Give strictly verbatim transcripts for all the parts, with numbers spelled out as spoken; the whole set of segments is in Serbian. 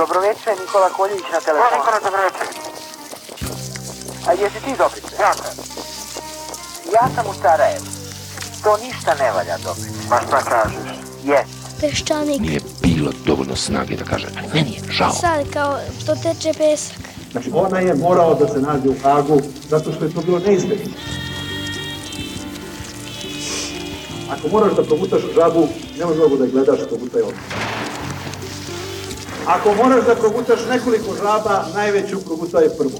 Dobroveče, Nikola Koljević na telefonu. Nikola, dobroveče. A jesi ti Dobrice? Ja sam. Ja sam u Sarajevu. To ništa ne valja, Dobrice. Pa šta kažeš? Jest. Peščanik. Nije bilo dovoljno snage da kaže, ali meni je žao. Sad kao to teče pesak. Znači ona je morao da se nađe u Hagu zato što je to bilo neizbježno. Ako moraš da progutaš žabu, nema mnogo da je gledaš, progutaj odmah. Ako moraš da progutaš nekoliko žaba, najveću progutaj prvu.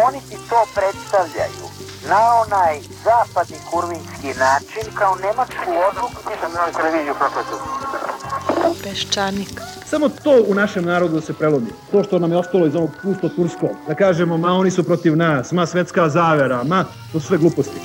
Oni ti to predstavljaju na onaj zapadni kurvinski način kao nemačku odluku. Nisam na televiziju prokletu. Peščanik. Samo to u našem narodu se prelomi. To što nam je ostalo iz ovog pusto turskog. Da kažemo, ma oni su protiv nas, ma svetska zavera, ma to su sve gluposti.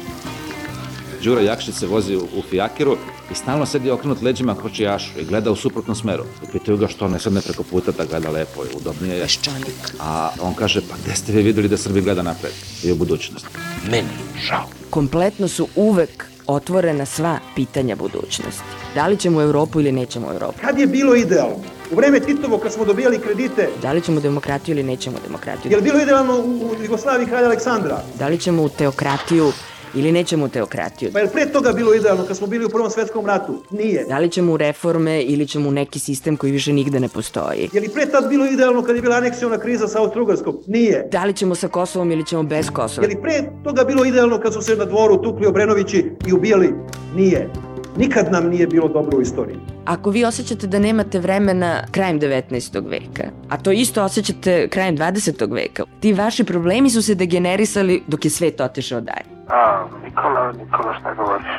Đura Jakšić se vozi u fijakiru i stalno sedi okrenut leđima kočijašu i gleda u suprotnom smeru. I pitaju ga što ne sedne preko puta da gleda lepo i udobnije je. Peščanik. A on kaže, pa gde ste vi videli da Srbi gleda napred i u budućnost? Meni žao. Kompletno su uvek otvorena sva pitanja budućnosti. Da li ćemo u Evropu ili nećemo u Evropu? Kad je bilo idealno? U vreme Titovo kad smo dobijali kredite. Da li ćemo demokratiju ili nećemo demokratiju? Je li bilo idealno u Jugoslaviji kralja Aleksandra? Da li ćemo u teokratiju ili nećemo u teokratiju? Pa je li pre toga bilo idealno kad smo bili u Prvom svetskom ratu? Nije. Da li ćemo u reforme ili ćemo u neki sistem koji više nigde ne postoji? Je li pre tad bilo idealno kad je bila aneksiona kriza sa Austro-Ugarskom? Nije. Da li ćemo sa Kosovom ili ćemo bez Kosova? Je li pre toga bilo idealno kad su se na dvoru tukli Obrenovići i ubijali? Nije. Nikad nam nije bilo dobro u istoriji. Ako vi osjećate da nemate vremena krajem devetnaestog veka, a to isto osjećate krajem dvadesetog veka, ti vaši problemi su se degenerisali dok je svet otišao dalje. A, Nikola, Nikola, šta govoriš?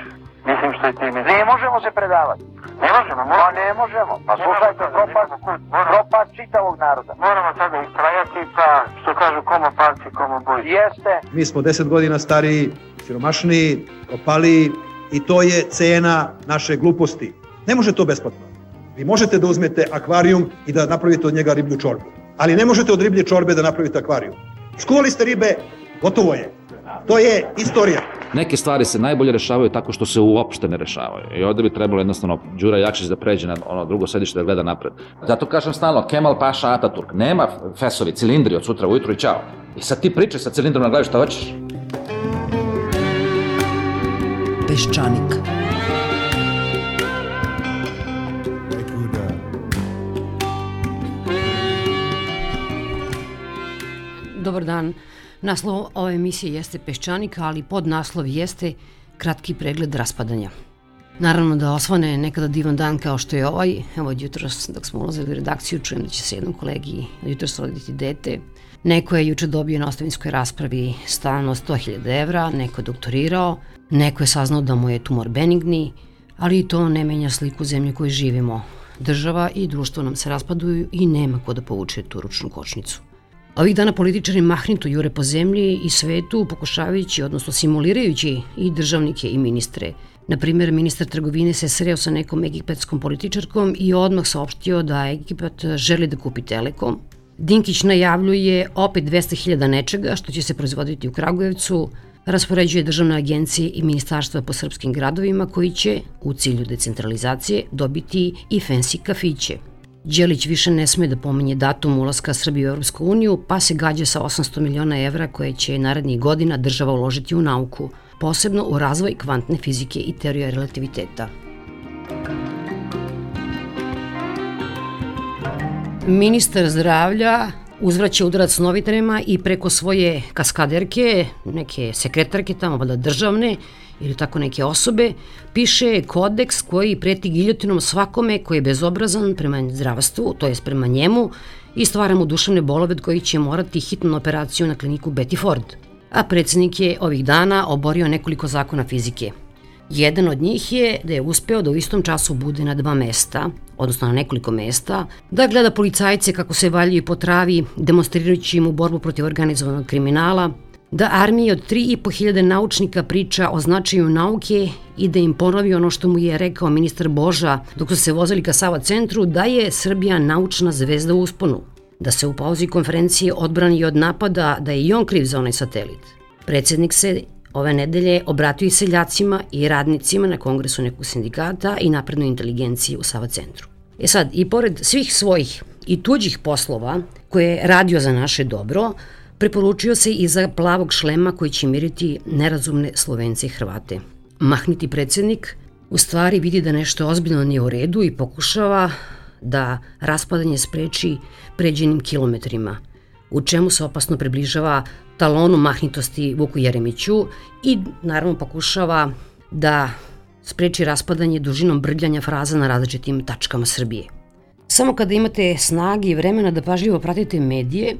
Mislim što je ti mi... Ne možemo se predavati. Ne možemo, Pa moramo. ne možemo. Pa slušajte, propad, propad čitavog naroda. Moramo sada istrajati, pa što kažu komo palci, komo boj. Jeste. Mi smo deset godina stariji, siromašniji, propaliji i to je cena naše gluposti. Ne može to besplatno. Vi možete da uzmete akvarijum i da napravite od njega riblju čorbu. Ali ne možete od riblje čorbe da napravite akvarijum. Skuvali ste ribe, gotovo je. To je istorija. Neke stvari se najbolje rešavaju tako što se uopšte ne rešavaju. I ovde bi trebalo jednostavno Đura Jakšić da pređe na ono drugo sedište da gleda napred. Zato kažem stalno, Kemal Paša Ataturk. Nema fesovi, cilindri od sutra ujutru i čao. I sad ti pričaj sa cilindrom na glavi šta hoćeš. Peščanik. Dobar dan. Naslov ove emisije jeste Peščanik, ali podnaslov jeste kratki pregled raspadanja. Naravno da osvane nekada divan dan kao što je ovaj. Evo od jutros dok smo ulazili u redakciju čujem da će se jednom kolegi jutros roditi dete. Neko je juče dobio na ostavinskoj raspravi stan od sto hiljada evra, neko je doktorirao, neko je saznao da mu je tumor benigni, ali i to ne menja sliku zemlje koju živimo. Država i društvo nam se raspaduju i nema ko da povuče tu ručnu kočnicu. Ovih dana političari mahnito jure po zemlji i svetu pokušavajući, odnosno simulirajući i državnike i ministre. Naprimjer, ministar trgovine se sreo sa nekom egipetskom političarkom i odmah saopštio da Egipat želi da kupi Telekom. Dinkić najavljuje opet dvesta hiljada nečega što će se proizvoditi u Kragujevcu, raspoređuje državne agencije i ministarstva po srpskim gradovima koji će, u cilju decentralizacije, dobiti i fancy kafiće. Đelić više ne sme da pominje datum ulaska Srbije u Evropsku uniju, pa se gađa sa osamsto miliona evra koje će narednih godina država uložiti u nauku, posebno u razvoj kvantne fizike i teorije relativiteta. Ministar zdravlja uzvraća udarac novinarima i preko svoje kaskaderke, neke sekretarke tamo, valjda državne, ili tako neke osobe, piše kodeks koji preti giljotinom svakome koji je bezobrazan prema zdravstvu, to jest prema njemu, i stvara mu duševne bolove od kojih će morati hitnu operaciju na kliniku Betty Ford. A predsjednik je ovih dana oborio nekoliko zakona fizike. Jedan od njih je da je uspeo da u istom času bude na dva mesta, odnosno na nekoliko mesta, da gleda policajce kako se valjaju po travi, demonstrirajući im u borbu protiv organizovanog kriminala, da armiji od tri i po hiljade naučnika priča o značaju nauke i da im ponovi ono što mu je rekao ministar Boža dok su se vozili ka Sava centru, da je Srbija naučna zvezda u usponu, da se u pauzi konferencije odbrani od napada da je i on kriv za onaj satelit. Predsjednik se ove nedelje obratio i seljacima i radnicima na kongresu nekog sindikata i naprednoj inteligenciji u Sava centru. E sad, i pored svih svojih i tuđih poslova koje je radio za naše dobro, preporučio se i za plavog šlema koji će miriti nerazumne Slovence i Hrvate. Mahniti predsednik u stvari vidi da nešto ozbiljno nije u redu i pokušava da raspadanje spreči pređenim kilometrima, u čemu se opasno približava talonu mahnitosti Vuku Jeremiću i naravno pokušava da spreči raspadanje dužinom brljanja fraza na različitim tačkama Srbije. Samo kada imate snage i vremena da pažljivo pratite medije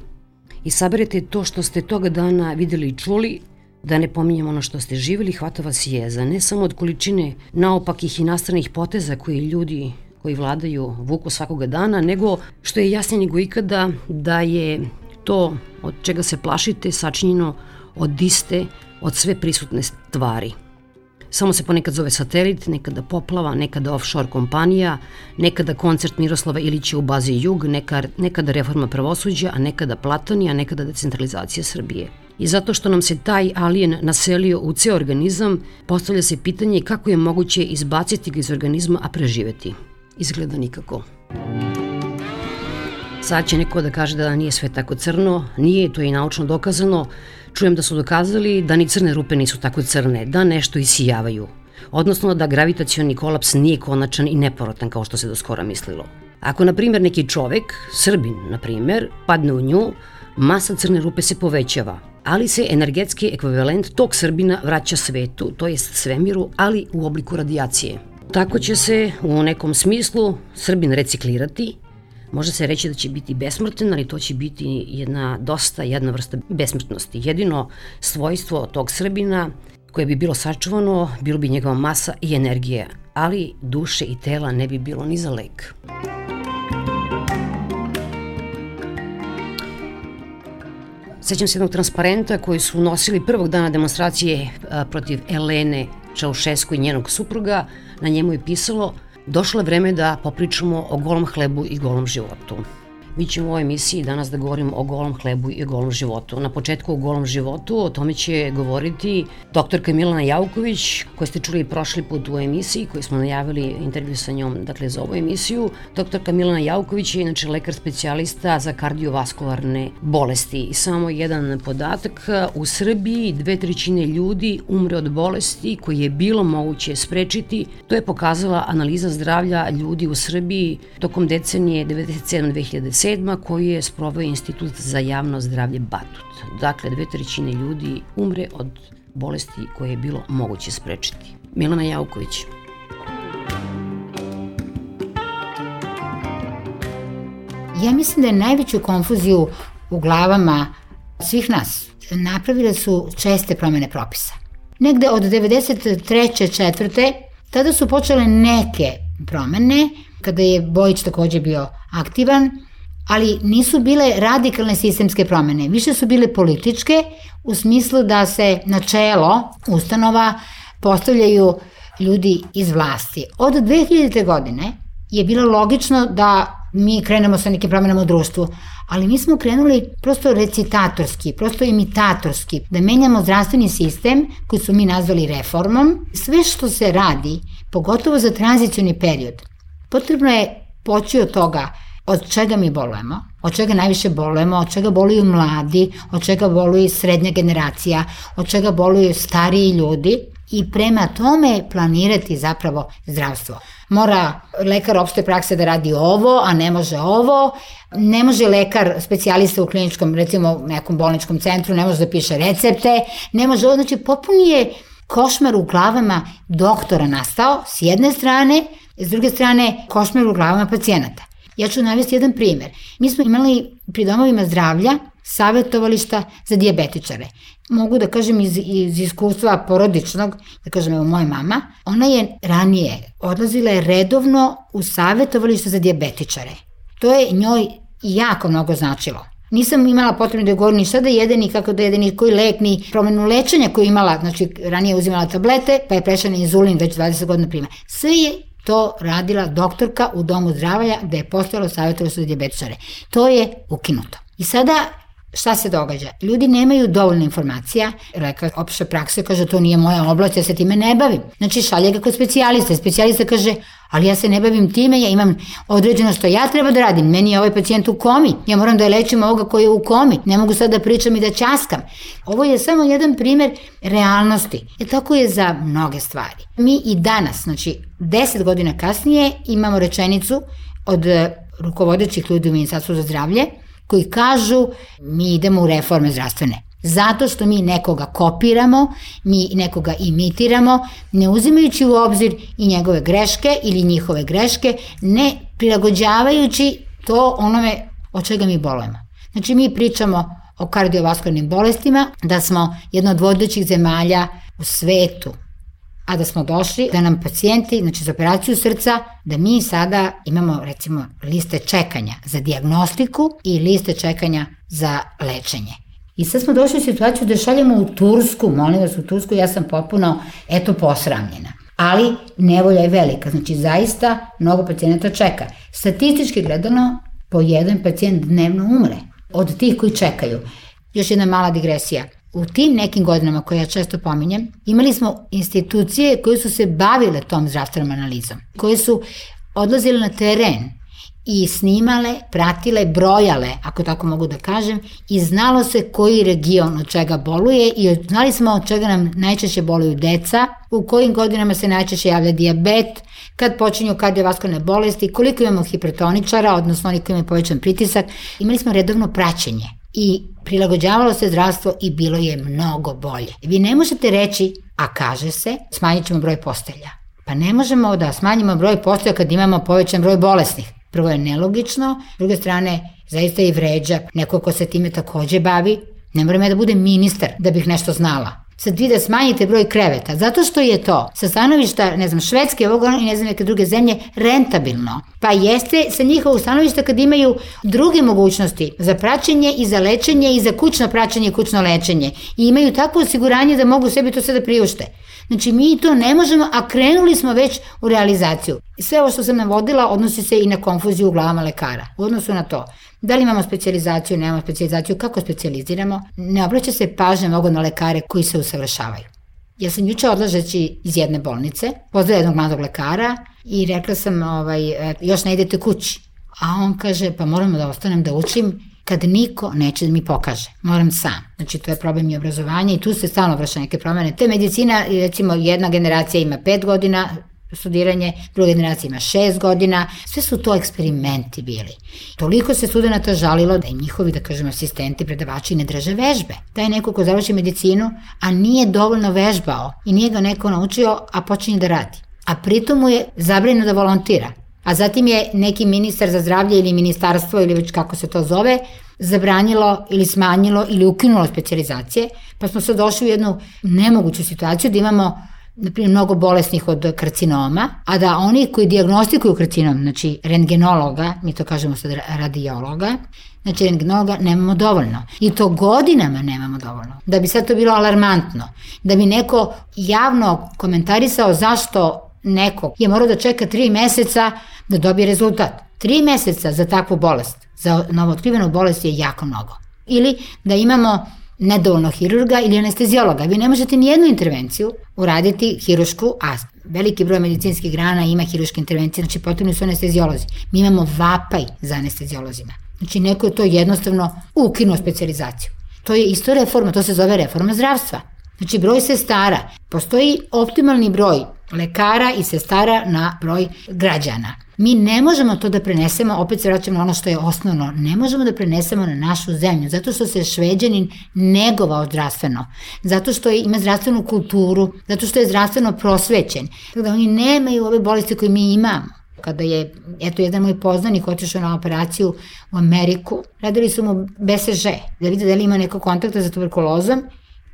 i saberete to što ste toga dana videli i čuli, da ne pominjamo ono što ste živjeli, hvata vas jeza, ne samo od količine naopakih i nastranih poteza koji ljudi koji vladaju vuku svakoga dana, nego što je jasnije nego ikada da je to od čega se plašite sačinjeno od iste, od sve prisutne stvari. Samo se ponekad zove satelit, nekada poplava, nekada offshore kompanija, nekada koncert Miroslava Ilića u bazi Jug, nekada reforma pravosuđa, a nekada Platoni, a nekada decentralizacija Srbije. I zato što nam se taj alijen naselio u ceo organizam, postavlja se pitanje kako je moguće izbaciti ga iz organizma, a preživeti. Izgleda nikako. Sad će neko da kaže da nije sve tako crno, nije, to je i naučno dokazano. Čujem da su dokazali da ni crne rupe nisu tako crne, da nešto isijavaju. Odnosno da gravitacioni kolaps nije konačan i nepovrotan kao što se do skora mislilo. Ako, na primjer, neki čovek, Srbin, na primjer, padne u nju, masa crne rupe se povećava, ali se energetski ekvivalent tog Srbina vraća svetu, to jest svemiru, ali u obliku radijacije. Tako će se u nekom smislu Srbin reciklirati. Može se reći da će biti besmrten, ali to će biti jedna dosta jedna vrsta besmrtnosti. Jedino svojstvo tog Srbina koje bi bilo sačuvano, bilo bi njegova masa i energija, ali duše i tela ne bi bilo ni za lek. Sećam se jednog transparenta koji su nosili prvog dana demonstracije protiv Elene Čaušesku i njenog supruga. Na njemu je pisalo: došlo je vreme da popričamo o golom hlebu i golom životu. Mi ćemo u ovoj emisiji danas da govorimo o golom hlebu i golom životu. Na početku o golom životu, o tome će govoriti doktorka Milana Jauković, koju ste čuli prošli put u emisiji, koju smo najavili intervju sa njom, dakle, za ovu emisiju. Doktorka Milana Jauković je inače lekar specijalista za kardiovaskularne bolesti. I samo jedan podatak, u Srbiji dve trećine ljudi umre od bolesti koje je bilo moguće sprečiti. To je pokazala analiza zdravlja ljudi u Srbiji tokom decenije devedeset sedme do dve hiljade sedme koji je sproveo Institut za javno zdravlje Batut. Dakle, dve trećine ljudi umre od bolesti koje je bilo moguće sprečiti. Milana Jauković. Ja mislim da je najveću konfuziju u glavama svih nas napravile su česte promene propisa. Negde od devedeset treće četvrte tada su počele neke promene, kada je Bojić takođe bio aktivan, ali nisu bile radikalne sistemske promene. Više su bile političke u smislu da se na čelo ustanova postavljaju ljudi iz vlasti. Od dve hiljadite. godine je bilo logično da mi krenemo sa nekim promenama u društvu, ali mi smo krenuli prosto recitatorski, prosto imitatorski, da menjamo zdravstveni sistem koji su mi nazvali reformom. Sve što se radi, pogotovo za tranzicioni period, potrebno je poći od toga od čega mi bolujemo, od čega najviše bolujemo, od čega boluju mladi, od čega boluju srednja generacija, od čega boluju stariji ljudi i prema tome planirati zapravo zdravstvo. Mora lekar opšte prakse da radi ovo, a ne može ovo, ne može lekar specijalista u kliničkom, recimo nekom bolničkom centru, ne može da piše recepte, ne može ovo, znači popuni je košmar u glavama doktora nastao s jedne strane, s druge strane košmar u glavama pacijenata. Ja ću navesti jedan primer. Mi smo imali pri domovima zdravlja savjetovališta za dijabetičare. Mogu da kažem iz, iz iskustva porodičnog, da kažem evo moja mama, ona je ranije odlazila je redovno u savjetovališta za dijabetičare. To je njoj jako mnogo značilo. Nisam imala potrebno da govorim ni šta da jede, ni kako da jede, ni koji lek, ni promenu lečenja koju imala, znači ranije uzimala tablete, pa je prešla na inzulin već dvadeset godina prima. Sve je to radila doktorka u domu zdravlja gde je postojalo savjetovalište za dijabetičare. To je ukinuto. I sada šta se događa? Ljudi nemaju dovoljno informacija, lekar opšte prakse kaže to nije moja oblast, ja se time ne bavim. Znači šalje ga kod specijalista, specijalista kaže ali ja se ne bavim time, ja imam određeno što ja treba da radim, meni je ovaj pacijent u komi, ja moram da je lečim ovoga koji je u komi, ne mogu sad da pričam i da ćaskam. Ovo je samo jedan primer realnosti. E tako je za mnoge stvari. Mi i danas, znači deset godina kasnije imamo rečenicu od rukovodećih ljudi u Ministarstvu za zdravlje koji kažu mi idemo u reforme zdravstvene. Zato što mi nekoga kopiramo, mi nekoga imitiramo, ne uzimajući u obzir i njegove greške ili njihove greške, ne prilagođavajući to onome od čega mi bolujemo. Znači mi pričamo o kardiovaskularnim bolestima, da smo jedna od vodećih zemalja u svetu, a da smo došli da nam pacijenti, znači za operaciju srca, da mi sada imamo recimo liste čekanja za dijagnostiku i liste čekanja za lečenje. I sad smo došli u situaciju da šaljemo u Tursku, molim vas u Tursku, ja sam potpuno, eto, posramljena. Ali nevolja je velika, znači zaista mnogo pacijenata čeka. Statistički gledano, po jedan pacijent dnevno umre od tih koji čekaju. Još jedna mala digresija. U tim nekim godinama koje ja često pominjem, imali smo institucije koje su se bavile tom zdravstvenom analizom, koje su odlazile na teren i snimale, pratile, brojale, ako tako mogu da kažem, i znalo se koji region od čega boluje i znali smo od čega nam najčešće boluju deca, u kojim godinama se najčešće javlja dijabet, kad počinju kardiovaskularne bolesti, koliko imamo hipertoničara, odnosno oni koji imaju povećan pritisak. Imali smo redovno praćenje i prilagođavalo se zdravstvo i bilo je mnogo bolje. Vi ne možete reći, a kaže se, smanjit ćemo broj postelja. Pa ne možemo da smanjimo broj postelja kad imamo povećan broj bolesnih. Prvo je nelogično, s druge strane zaista i vređa neko ko se time takođe bavi. Ne moram ja da budem ministar da bih nešto znala. Sad vi da smanjite broj kreveta, zato što je to sa stanovišta, ne znam, Švedske ovog i ne znam neke druge zemlje rentabilno. Pa jeste sa njihovog stanovišta kad imaju druge mogućnosti za praćenje i za lečenje i za kućno praćenje i kućno lečenje. I imaju takvo osiguranje da mogu sebi to sve da priušte. Znači mi to ne možemo, a krenuli smo već u realizaciju. I sve ovo što sam navodila odnosi se i na konfuziju u glavama lekara. U odnosu na to, da li imamo specijalizaciju, nemamo specijalizaciju, kako specijaliziramo, ne obraća se pažnja mnogo na lekare koji se usavršavaju. Ja sam juče odlažeći iz jedne bolnice, pozdrav jednog mladog lekara i rekla sam, ovaj, još ne idete kući. A on kaže, pa moramo da ostanem da učim kad niko neće da mi pokaže. Moram sam. Znači, to je problem i obrazovanja i tu se stalno vraća neke promene. To je medicina, recimo, jedna generacija ima pet godina studiranje, druga generacija ima šest godina. Sve su to eksperimenti bili. Toliko se studenta žalilo da im njihovi, da kažem, asistenti, predavači ne drže vežbe. Da je neko ko završi medicinu, a nije dovoljno vežbao i nije ga neko naučio, a počinje da radi. A pritom mu je zabranjeno da volontira. A zatim je neki ministar za zdravlje ili ministarstvo ili već kako se to zove zabranilo ili smanjilo ili ukinulo specijalizacije, pa smo sad došli u jednu nemoguću situaciju da imamo naprimjer mnogo bolesnih od karcinoma, a da oni koji dijagnostikuju karcinom, znači rentgenologa, mi to kažemo sad radiologa, znači rentgenologa nemamo dovoljno. I to godinama nemamo dovoljno. Da bi sad to bilo alarmantno, da bi neko javno komentarisao zašto neko je morao da čeka tri meseca da dobije rezultat. Tri meseca za takvu bolest, za novootkrivenu bolest je jako mnogo. Ili da imamo nedovoljno hirurga ili anestezijologa. Vi ne možete ni jednu intervenciju uraditi hirušku, a veliki broj medicinskih grana ima hiruške intervencije, znači potrebni su anestezijolozi. Mi imamo vapaj za anestezijolozima. Znači neko je to jednostavno ukinuo specijalizaciju. To je isto reforma, to se zove reforma zdravstva. Znači broj sestara, postoji optimalni broj lekara i sestara na broj građana. Mi ne možemo to da prenesemo, opet se vraćamo na ono što je osnovno, ne možemo da prenesemo na našu zemlju, zato što se Šveđanin negovao zdravstveno, zato što ima zdravstvenu kulturu, zato što je zdravstveno prosvećen. Tako da oni nemaju ove bolesti koje mi imamo. Kada je, eto, jedan moj poznanik otišao na operaciju u Ameriku, radili su mu B C G, da vide da li ima neko kontakta za tuberkulozom.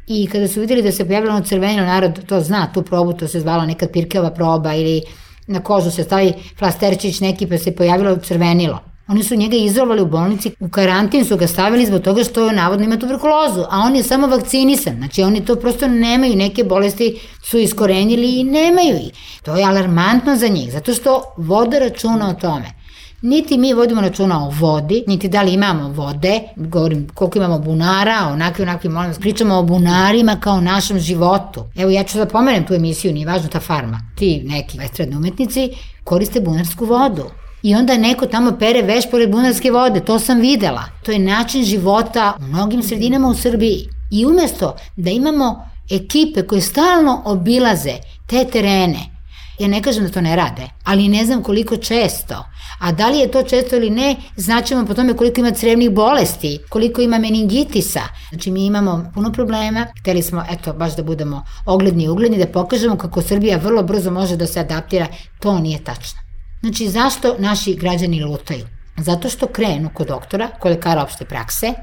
I kada su vidjeli da se pojavilo ono crvenilo, narod to zna, tu probu, to se zvala nekad Pirkeva proba ili na kožu se stavi flasterčić neki pa se pojavilo crvenilo. Oni su njega izolovali u bolnici, u karantin su ga stavili zbog toga što navodno ima tuberkulozu, a on je samo vakcinisan, znači oni to prosto nemaju, neke bolesti su iskorenili i nemaju ih. To je alarmantno za njih, zato što vode računa o tome. Niti mi vodimo računa o vodi, niti da li imamo vode, govorim koliko imamo bunara, onakvi, onakvi, molim vas, pričamo o bunarima kao našem životu. Evo ja ću da pomenem tu emisiju, nije važno ta farma. Ti neki estradni umetnici koriste bunarsku vodu. I onda neko tamo pere veš pored bunarske vode, to sam videla. To je način života u mnogim sredinama u Srbiji. I umesto da imamo ekipe koje stalno obilaze te terene, ja ne kažem da to ne rade, ali ne znam koliko često. A da li je to često ili ne, znaćemo po tome koliko ima crevnih bolesti, koliko ima meningitisa. Znači mi imamo puno problema, hteli smo, eto, baš da budemo ogledni i ugledni, da pokažemo kako Srbija vrlo brzo može da se adaptira, to nije tačno. Znači zašto naši građani lutaju? Zato što krenu kod doktora, kod lekara opšte prakse,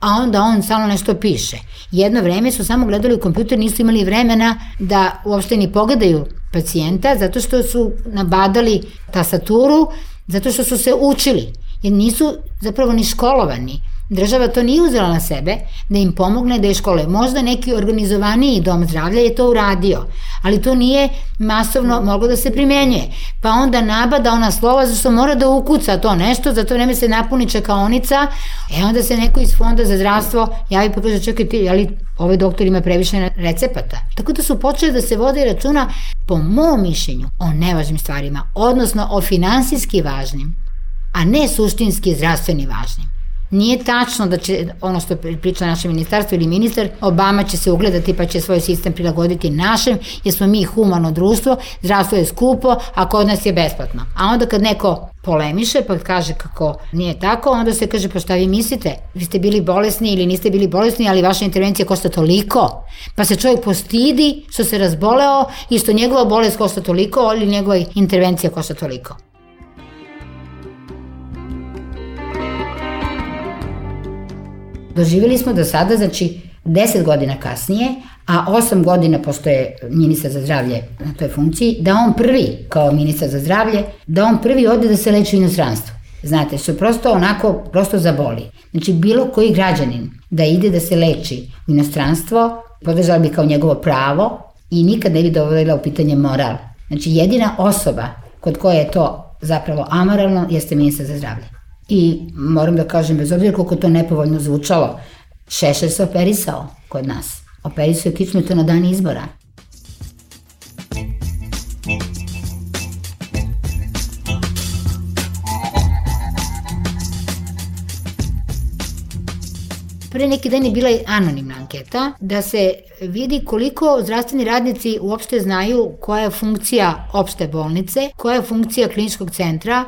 a onda on samo nešto piše. Jedno vreme su samo gledali u kompjuter, nisu imali vremena da uopšte ni pogledaju pacijenta, zato što su nabadali tastaturu, zato što su se učili, jer nisu zapravo ni školovani. Država to nije uzela na sebe da im pomogne da je školuje. Možda neki organizovaniji dom zdravlja je to uradio, ali to nije masovno moglo da se primenjuje. Pa onda nabada ona slova zašto mora da ukuca to nešto, za to vreme se napuni čekaonica, e onda se neko iz Fonda za zdravstvo javi pa kaže čekaj ti, ali ovaj doktor ima previše recepata. Tako da su počeli da se vode računa, po mom mišljenju, o nevažnim stvarima, odnosno o finansijski važnim, a ne suštinski zdravstveni važnim. Nije tačno da će, ono što priča naše ministarstvo ili ministar, Obama će se ugledati pa će svoj sistem prilagoditi našem, jer smo mi humano društvo, zdravstvo je skupo, a kod nas je besplatno. A onda kad neko polemiše pa kaže kako nije tako, onda se kaže pa šta vi mislite? Vi ste bili bolesni ili niste bili bolesni, ali vaša intervencija košta toliko. Pa se čovjek postidi što se razboleo i što njegova bolest košta toliko, ali njegova intervencija košta toliko. Doživjeli smo do sada, znači, deset godina kasnije, a osam godina pošto je ministar za zdravlje na toj funkciji, da on prvi, kao ministar za zdravlje, da on prvi ode da se leči u inostranstvu. Znate, što prosto onako, prosto zaboli. Znači, bilo koji građanin da ide da se leči u inostranstvo, podržala bi kao njegovo pravo i nikad ne bi dovodila u pitanje moral. Znači, jedina osoba kod koje je to zapravo amoralno jeste ministar za zdravlje. I moram da kažem, bez obzira koliko to nepovoljno zvučalo, Šešelj se operisao kod nas. Operisao je kičmu i to na dan izbora. Pre neki dan je bila anonimna anketa da se vidi koliko zdravstveni radnici uopšte znaju koja je funkcija opšte bolnice, koja je funkcija kliničkog centra,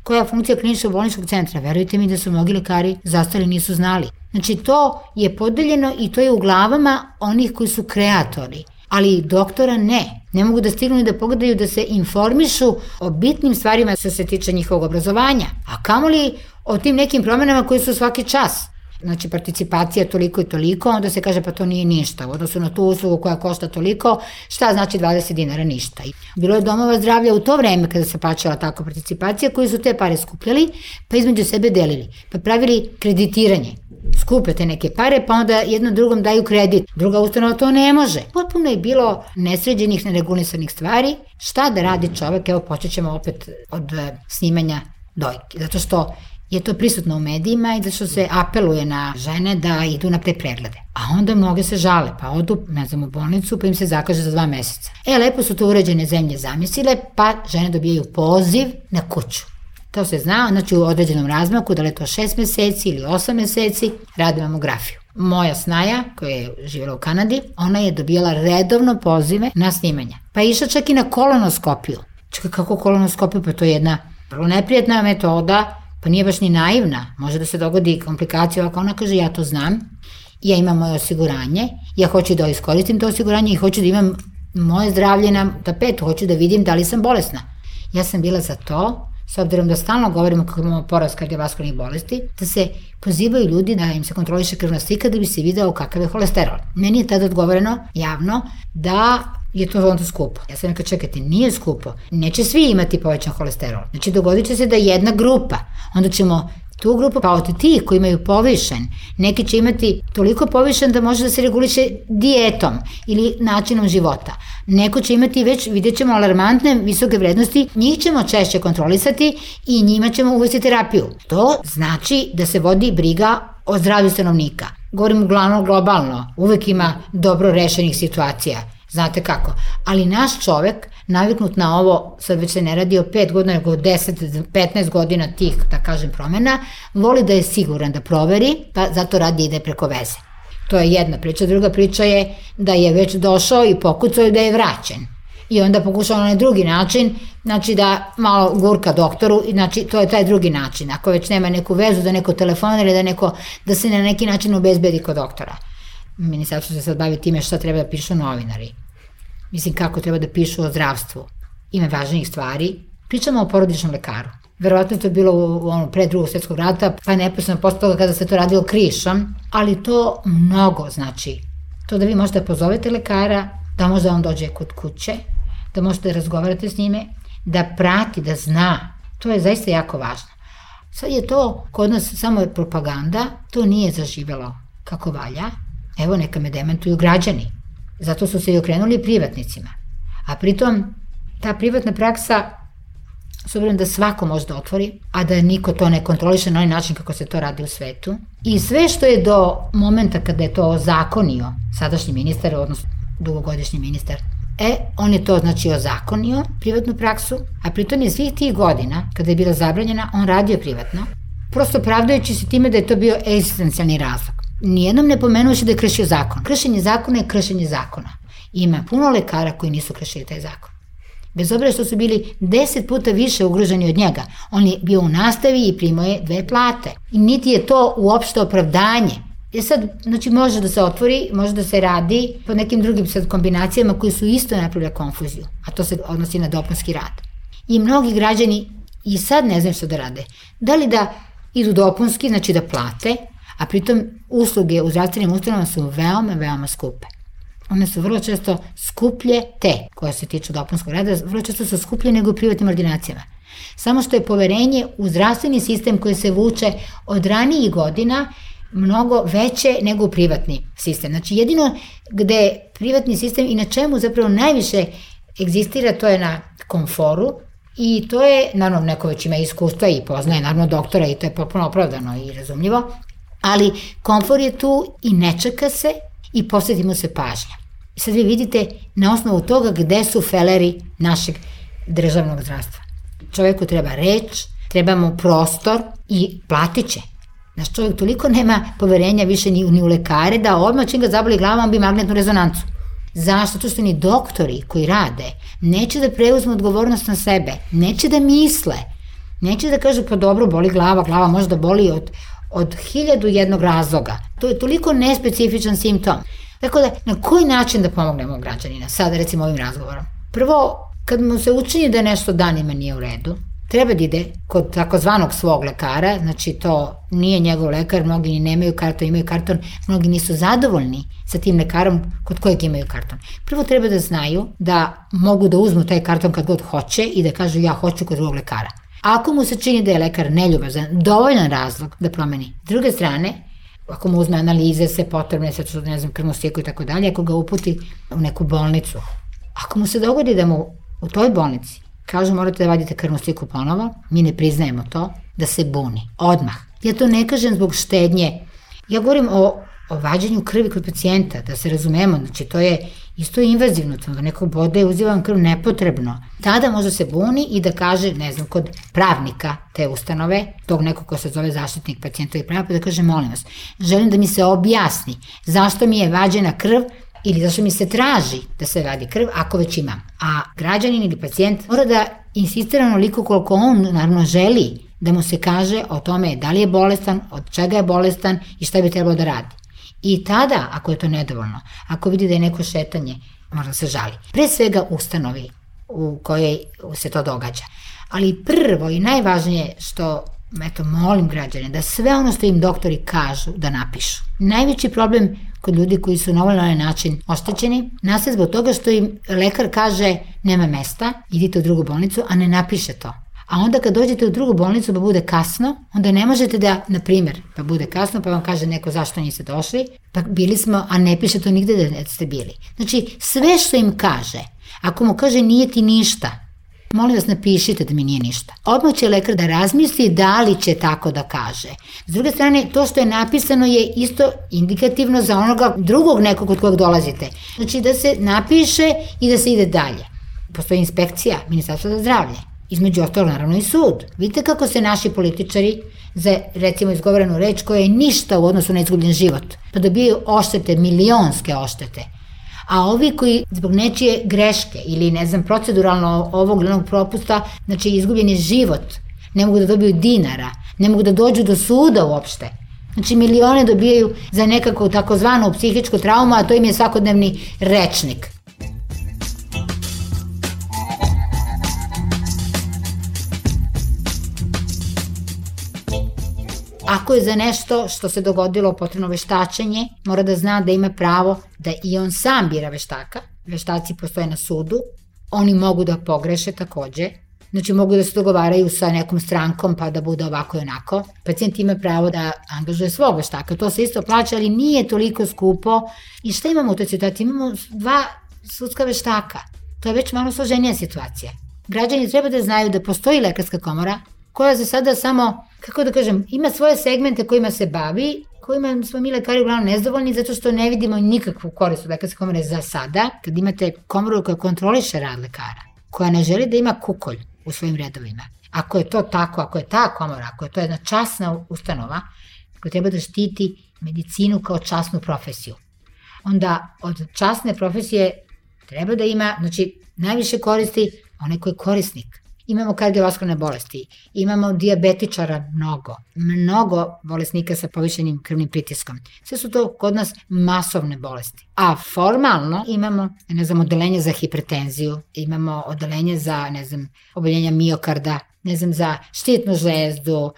koja je funkcija kliničkog bolničkog centra. Verujte mi da su mnogi lekari zastali nisu znali. Znači to je podeljeno i to je u glavama onih koji su kreatori, ali doktora ne. Ne mogu da stignu i da pogledaju da se informišu o bitnim stvarima što se tiče njihovog obrazovanja, a kamoli o tim nekim promenama koji su svaki čas. Znači participacija toliko i toliko, onda se kaže pa to nije ništa, u odnosu na tu uslugu koja košta toliko, šta znači dvadeset dinara, ništa. Bilo je domova zdravlja u to vreme kada se plaćala takva participacija koji su te pare skupljali pa između sebe delili, pa pravili kreditiranje. Skupe te neke pare pa onda jednom drugom daju kredit, druga ustanova to ne može. Potpuno je bilo nesređenih, neregulisanih stvari. Šta da radi čovek, evo počet ćemo opet od snimanja dojke, zato što je to prisutno u medijima i da što se apeluje na žene da idu na te preglede. A onda mnoge se žale, pa odu, ne znam, u bolnicu, pa im se zakaže za dva meseca. E, lepo su to uređene zemlje zamislile, pa žene dobijaju poziv na kuću. To se zna, znači u određenom razmaku, da li je to šest meseci ili osam meseci, radi mamografiju. Moja snaja, koja je živjela u Kanadi, ona je dobijala redovno pozive na snimanja. Pa je išla čak i na kolonoskopiju. Čekaj, kako kolonoskopiju? Pa to je jedna vrlo neprijatna metoda, pa nije baš ni naivna, može da se dogodi komplikacija, ovako ona kaže ja to znam, ja imam moje osiguranje, ja hoću da iskoristim to osiguranje i hoću da imam moje zdravlje na tapetu, hoću da vidim da li sam bolesna. Ja sam bila za to, s obzirom da stalno govorimo kako imamo porast kardiovaskularnih bolesti, da se pozivaju ljudi da im se kontroliše krvna slika da bi se video kakav je holesterol. Meni je tada odgovoreno javno da je to onda skupo. Ja sam rekao, čekajte, nije skupo. Neće svi imati povećan holesterol. Znači, dogodit će se da jedna grupa, onda ćemo tu grupu, pa od tih koji imaju povišen, neki će imati toliko povišen da može da se reguliše dijetom ili načinom života. Neko će imati već, vidjet ćemo, alarmantne visoke vrednosti, njih ćemo češće kontrolisati i njima ćemo uvesti terapiju. To znači da se vodi briga o zdravlju stanovnika. Govorim uglavnom globalno, uvek ima dobro rešenih situacija. Znate kako? Ali naš čovek, naviknut na ovo, sad već se ne radi o pet godina, nego deset, petnaest godina tih, da kažem, promena, voli da je siguran da proveri, pa zato radi ide preko veze. To je jedna priča. Druga priča je da je već došao i pokucao i da je vraćen. I onda pokušao na onaj drugi način, znači da malo gurka doktoru, znači to je taj drugi način. Ako već nema neku vezu da neko telefonira ili da, neko, da se na neki način obezbedi kod doktora. Ministarstvo se sad bavi time šta treba da pišu novinari. Mislim kako treba da pišu o zdravstvu. Ima važnijih stvari. Pričamo o porodičnom lekaru. Verovatno to je bilo u, ono, pre drugog svjetskog rata, pa je neposredno posle toga kada se to radilo krišom, ali to mnogo znači. To da vi možete pozovete lekara, da možda on dođe kod kuće, da možete da razgovarate s njime, da prati, da zna. To je zaista jako važno. Sad je to kod nas samo propaganda, to nije zaživelo kako valja. Evo, neka me demantuju građani. Zato su se i okrenuli privatnicima. A pritom, ta privatna praksa, s obzirom da svako može da otvori, a da niko to ne kontroliše na onaj način kako se to radi u svetu. I sve što je do momenta kada je to ozakonio sadašnji ministar, odnosno dugogodišnji ministar, e, on je to znači ozakonio, privatnu praksu, a pritom je svih tih godina, kada je bila zabranjena, on radio privatno, prosto pravdajući se time da je to bio egzistencijalni razlog. Nijednom ne pomenuoši da je kršio zakon. Kršenje zakona je kršenje zakona. Ima puno lekara koji nisu kršili taj zakon. Bez obzira što su bili deset puta više ugroženi od njega. On je bio u nastavi i primao je dve plate. I niti je to uopšte opravdanje. Je sad, znači može da se otvori, može da se radi po nekim drugim sad kombinacijama koji su isto napravili konfuziju. A to se odnosi na dopunski rad. I mnogi građani i sad ne znaju što da rade. Da li da idu dopunski, znači da plate, a pritom usluge u zdravstvenim ustanovama su veoma, veoma skupe. One su vrlo često skuplje, te koje se tiču dopunskog rada, vrlo često su skuplje nego u privatnim ordinacijama. Samo što je poverenje u zdravstveni sistem koji se vuče od ranijih godina mnogo veće nego u privatni sistem. Znači jedino gde privatni sistem i na čemu zapravo najviše egzistira, to je na komforu i to je, naravno neko već ima iskustva i poznaje naravno doktora i to je potpuno opravdano i razumljivo, ali komfor je tu i ne čeka se i posvetimo se pažnja. I sad vi vidite na osnovu toga gde su feleri našeg državnog zdravstva. Čoveku treba reč, treba mu prostor i platit će. Naš čovjek toliko nema poverenja više ni, ni u lekare da odmah čim ga zaboli glava on bi magnetnu rezonancu. Zašto? To što ni doktori koji rade neće da preuzmu odgovornost na sebe, neće da misle, neće da kažu pa dobro boli glava, glava može da boli od od hiljadu jednog razloga. To je toliko nespecifičan simptom. Tako da, na koji način da pomognemo građanina? Sada, recimo, ovim razgovorom. Prvo, kad mu se učini da nešto danima nije u redu, treba da ide kod takozvanog svog lekara, znači to nije njegov lekar, mnogi ni nemaju karton, imaju karton, mnogi nisu zadovoljni sa tim lekarom kod kojeg imaju karton. Prvo treba da znaju da mogu da uzmu taj karton kad god hoće i da kažu ja hoću kod drugog lekara. Ako mu se čini da je lekar neljubazan, dovoljan razlog da promeni. S druge strane, ako mu uzme analize, sve potrebne, sve što, ne znam, krvnu sliku i tako dalje, ako ga uputi u neku bolnicu, ako mu se dogodi da mu u toj bolnici kažu morate da vadite krvnu sliku ponovo, mi ne priznajemo to, da se buni. Odmah. Ja to ne kažem zbog štednje. Ja govorim o, o vađenju krvi kod pacijenta, da se razumemo, znači to je isto invazivno, da neko bode, uzivam krv nepotrebno. Tada može se buni i da kaže, ne znam, kod pravnika te ustanove, tog nekog ko se zove zaštitnik pacijentovih prava, pa da kaže, molim vas, želim da mi se objasni zašto mi je vađena krv ili zašto mi se traži da se vadi krv ako već imam. A građanin ili pacijent mora da insistira onoliko koliko on naravno želi da mu se kaže o tome da li je bolestan, od čega je bolestan i šta bi trebalo da radi. I tada, ako je to nedovoljno, ako vidi da je neko šetanje, mora da se žali. Pre svega ustanovi u kojoj se to događa. Ali prvo i najvažnije što, eto, molim građane, da sve ono što im doktori kažu da napišu. Najveći problem kod ljudi koji su na ovaj način oštećeni nastaje zbog toga što im lekar kaže nema mesta, idite u drugu bolnicu, a ne napiše to. A onda kad dođete u drugu bolnicu pa bude kasno, onda ne možete da, na primjer, pa bude kasno, pa vam kaže neko zašto niste došli, pa bili smo, a ne piše to nigde da ste bili. Znači, sve što im kaže, Ako mu kaže nije ti ništa, molim vas napišite da mi nije ništa. Odmah će lekar da razmisli da li će tako da kaže. S druge strane, to što je napisano je isto indikativno za onoga drugog nekog od kojeg dolazite. Znači da se napiše i da se ide dalje. Postoji inspekcija, Ministarstvo za zdravlje. Između ostalog naravno i sud. Vidite kako se naši političari za recimo izgovorenu reč koja je ništa u odnosu na izgubljen život, pa dobijaju oštete, milionske oštete. A ovi koji zbog nečije greške ili ne znam proceduralno ovog ili onog propusta, znači izgubljen je život, ne mogu da dobiju dinara, ne mogu da dođu do suda uopšte. Znači milione dobijaju za nekako takozvanu psihičku traumu, a to im je svakodnevni rečnik. Ako je za nešto što se dogodilo potrebno veštačenje, mora da zna da ima pravo da i on sam bira veštaka. Veštaci postoje na sudu, oni mogu da pogreše takođe, znači mogu da se dogovaraju sa nekom strankom pa da bude ovako i onako. Pacijent ima pravo da angažuje svog veštaka, to se isto plaća, ali nije toliko skupo. I šta imamo u toj situaciji? Imamo dva sudska veštaka, to je već malo složenija situacija. Građani treba da znaju da postoji lekarska komora, koja za sada samo, kako da kažem, ima svoje segmente kojima se bavi, kojima smo mi lekari uglavnom nezadovoljni zato što ne vidimo nikakvu korist od lekarske komore za sada. Kad imate komoru koja kontroliše rad lekara, koja ne želi da ima kukolj u svojim redovima, ako je to tako, ako je ta komora, ako je to jedna časna ustanova koja treba da štiti medicinu kao časnu profesiju, onda od časne profesije treba da ima, znači, najviše koristi onaj koji je korisnik. Imamo kardiovaskularne bolesti, imamo dijabetičara mnogo, mnogo bolesnika sa povišenim krvnim pritiskom. Sve su to kod nas masovne bolesti. A formalno imamo, ne znam, odeljenje za hipertenziju, imamo odeljenje za, ne znam, oboljenja miokarda, ne znam, za štitnu žlezdu,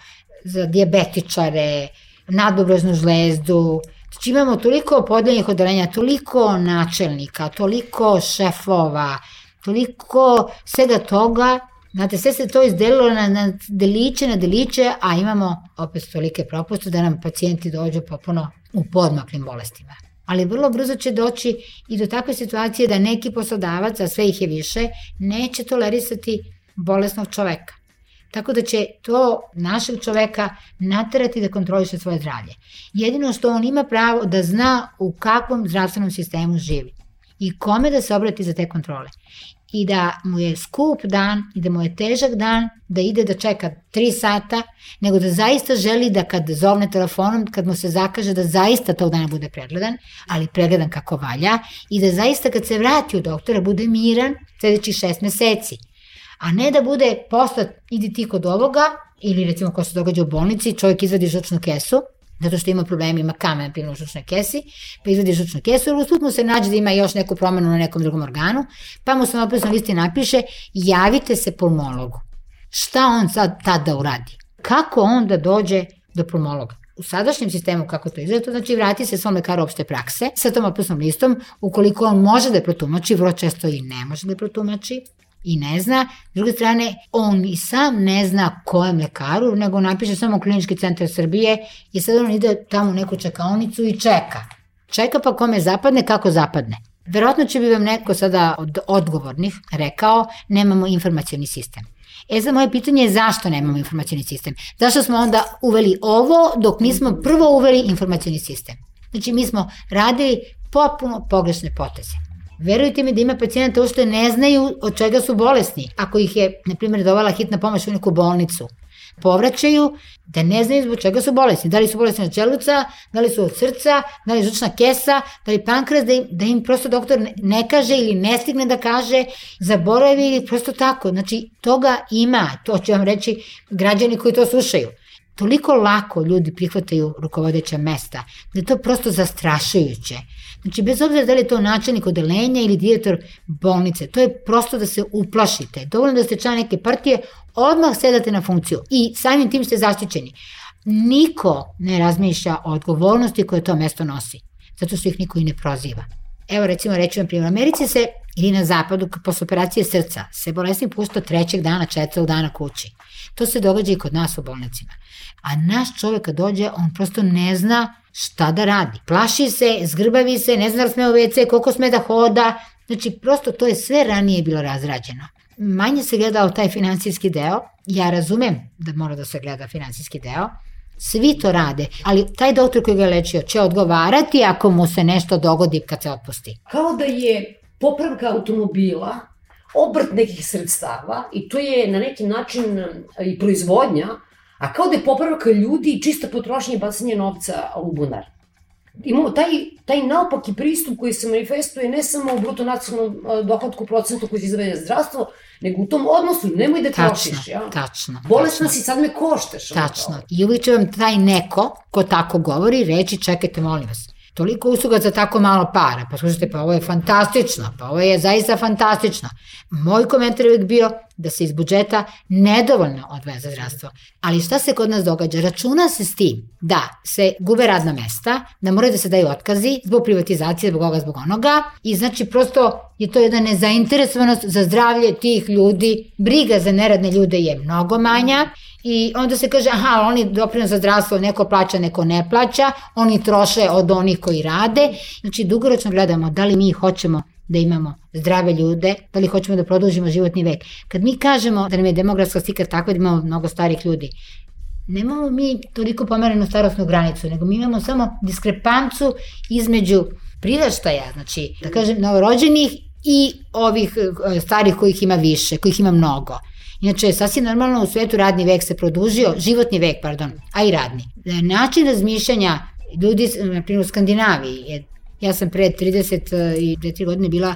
za dijabetičare, nadobrožnu žlezdu. Znači imamo toliko podeljenih odeljenja, toliko načelnika, toliko šefova, toliko svega toga. Znate, sve se to izdelilo na, na deliće, na deliće, a imamo opet tolike propuste da nam pacijenti dođu popuno u podmaklim bolestima. Ali vrlo brzo će doći i do takve situacije da neki poslodavac, a sve ih je više, neće tolerisati bolesnog čoveka. Tako da će to našeg čoveka naterati da kontroliše svoje zdravlje. Jedino što on ima pravo da zna u kakvom zdravstvenom sistemu živi i kome da se obrati za te kontrole. I da mu je skup dan i da mu je težak dan da ide da čeka tri sata, nego da zaista želi da kad zovne telefonom, kad mu se zakaže da zaista tog dana bude pregledan, ali pregledan kako valja i da zaista kad se vrati u doktora bude miran sledećih šest meseci. A ne da bude poslat, idi ti kod ovoga, ili recimo ko se događa u bolnici, čovjek izvadi žučnu kesu, zato što ima problema, ima kamen na u žučnoj kesi, pa izvadi žučnu kesu, ili usput mu se nađe da ima još neku promenu na nekom drugom organu, pa mu se na opisnoj listi napiše, javite se pulmologu. Šta on sad tada uradi? Kako on da dođe do pulmologa? U sadašnjem sistemu, kako to izgleda, to znači vrati se svom lekaru opšte prakse sa tom opisnom listom, ukoliko on može da je protumači, vrlo često i ne može da je protumači, i ne zna. S druge strane, on i sam ne zna kojem lekaru, nego napiše samo Klinički centar Srbije i sad on ide tamo u neku čekaonicu i čeka. Čeka pa kome zapadne, kako zapadne. Verovatno će bi vam neko sada od odgovornih rekao, nemamo informacioni sistem. E za moje pitanje je zašto nemamo informacioni sistem? Zašto smo onda uveli ovo dok nismo prvo uveli informacioni sistem? Znači mi smo radili potpuno pogrešne poteze. Verujte mi da ima pacijenta uopšte ne znaju od čega su bolesni. Ako ih je, na primjer, dovala hitna pomoć u neku bolnicu, povraćaju da ne znaju zbog čega su bolesni. Da li su bolesni od želuca, da li su od srca, da li žučna kesa, da li pankreas, da im, da im prosto doktor ne kaže ili ne stigne da kaže, zaboravi ili prosto tako. Znači, toga ima, to ću vam reći građani koji to slušaju. Toliko lako ljudi prihvataju rukovodeća mesta, da je to prosto zastrašujuće. Znači, bez obzira da li je to načelnik odeljenja ili direktor bolnice, to je prosto da se uplašite. Dovoljno da ste član neke partije, odmah sedate na funkciju i samim tim ste zaštićeni. Niko ne razmišlja o odgovornosti koje to mesto nosi, zato što ih niko i ne proziva. Evo recimo, reći vam primjer, u Americi se, ili na zapadu, posle operacije srca, se bolesnik pušta trećeg dana, četvrtog dana kući. To se događa i kod nas u bolnicima. A naš čovjek kad dođe, on prosto ne zna šta da radi. Plaši se, zgrbavi se, ne zna da sme u ve ce, koliko sme da hoda, Znači, prosto to je sve ranije bilo razrađeno. Manje se gledao taj finansijski deo, ja razumem da mora da se gleda finansijski deo, svi to rade, ali taj doktor koji ga je lečio će odgovarati ako mu se nešto dogodi kad se otpusti. Kao da je popravka automobila obrt nekih sredstava i to je na neki način i proizvodnja, a kao da je popravka ljudi i čista potrošnja i bacanje novca u bunar. Imamo taj, taj naopaki pristup koji se manifestuje ne samo u bruto nacionalnom dohodku procentu koji se izdvaja za zdravstvo, nego u tom odnosu, nemoj da trošiš. Ja? Tačno, bolesna si, sad me košteš. Tačno. I uvijek će vam taj neko ko tako govori reći, čekajte, molim vas, toliko usluga za tako malo para, pa slušajte, pa ovo je fantastično, pa ovo je zaista fantastično. Moj komentar je uvijek bio da se iz budžeta nedovoljno odvaja za zdravstvo. Ali šta se kod nas događa? Računa se s tim da se gube radna mesta, da moraju da se daju otkazi zbog privatizacije, zbog ovoga, zbog onoga i znači prosto je to jedna nezainteresovanost za zdravlje tih ljudi, briga za neradne ljude je mnogo manja i onda se kaže, aha, oni doprinos za zdravstvo neko plaća, neko ne plaća, oni troše od onih koji rade, znači dugoročno gledamo da li mi hoćemo da imamo zdrave ljude, da li hoćemo da produžimo životni vek. Kad mi kažemo da nam je demografska slika takva da imamo mnogo starih ljudi, nemamo mi toliko pomerenu starosnu granicu, nego mi imamo samo diskrepancu između priraštaja, znači, da kažem, novorođenih i ovih starih kojih ima više, kojih ima mnogo. Inače, sasvim normalno u svetu radni vek se produžio, životni vek, pardon, a i radni. Način razmišljanja ljudi, na primjer u Skandinaviji, je, ja sam pre trideset četiri godine bila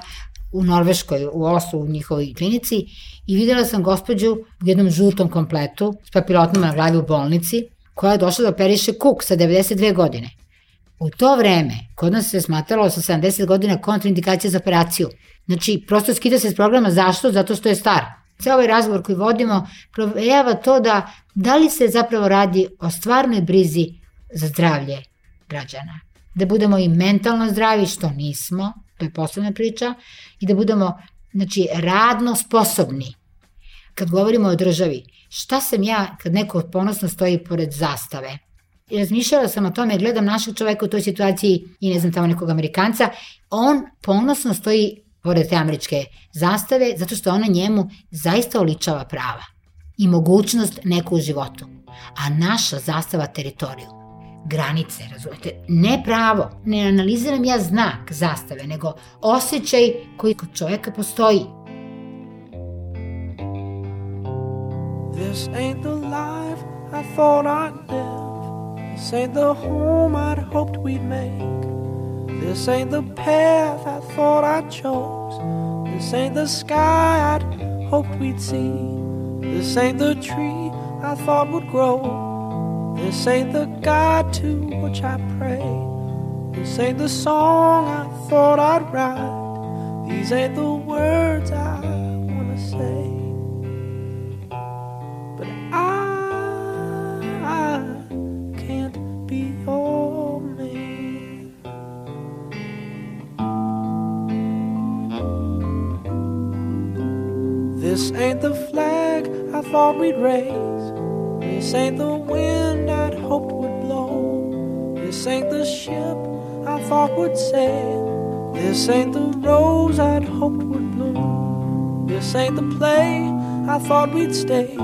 u Norveškoj, u Oslu, u njihovoj klinici i videla sam gospođu u jednom žutom kompletu s papilotama na glavi u bolnici koja je došla da operiše kuk sa devedeset dve godine. U to vreme, kod nas se smatralo sa sedamdeset godina kontraindikacija za operaciju. Znači, prosto skida se s programa. Zašto? Zato što je star. Sve ovaj razgovor koji vodimo provejava to da da li se zapravo radi o stvarnoj brizi za zdravlje građana. Da budemo i mentalno zdravi, što nismo, to je posebna priča, i da budemo, znači, radno sposobni. Kad govorimo o državi, šta sam ja kad neko ponosno stoji pored zastave? I razmišljala sam o tome, gledam našeg čoveka u toj situaciji i ne znam tamo nekog Amerikanca, on ponosno stoji pored te američke zastave zato što ona njemu zaista oličava prava i mogućnost neku u životu. A naša zastava teritoriju, granice, razumete, ne pravo, ne analiziram ja znak zastave, nego osjećaj koji kod čovjeka postoji. This ain't the life I thought I'd live. This ain't the home I'd hoped we'd make. This ain't the path I thought I chose. This ain't the sky I'd hoped we'd see. This ain't the tree I thought would grow. This ain't the God to which I pray. This ain't the song I thought I'd write. These ain't the words I wanna say. But I, I can't be your man. This ain't the flag I thought we'd raise. This ain't the wind I'd hoped would blow. This ain't the ship I thought would sail. This ain't the rose I'd hoped would bloom. This ain't the play I thought we'd stage.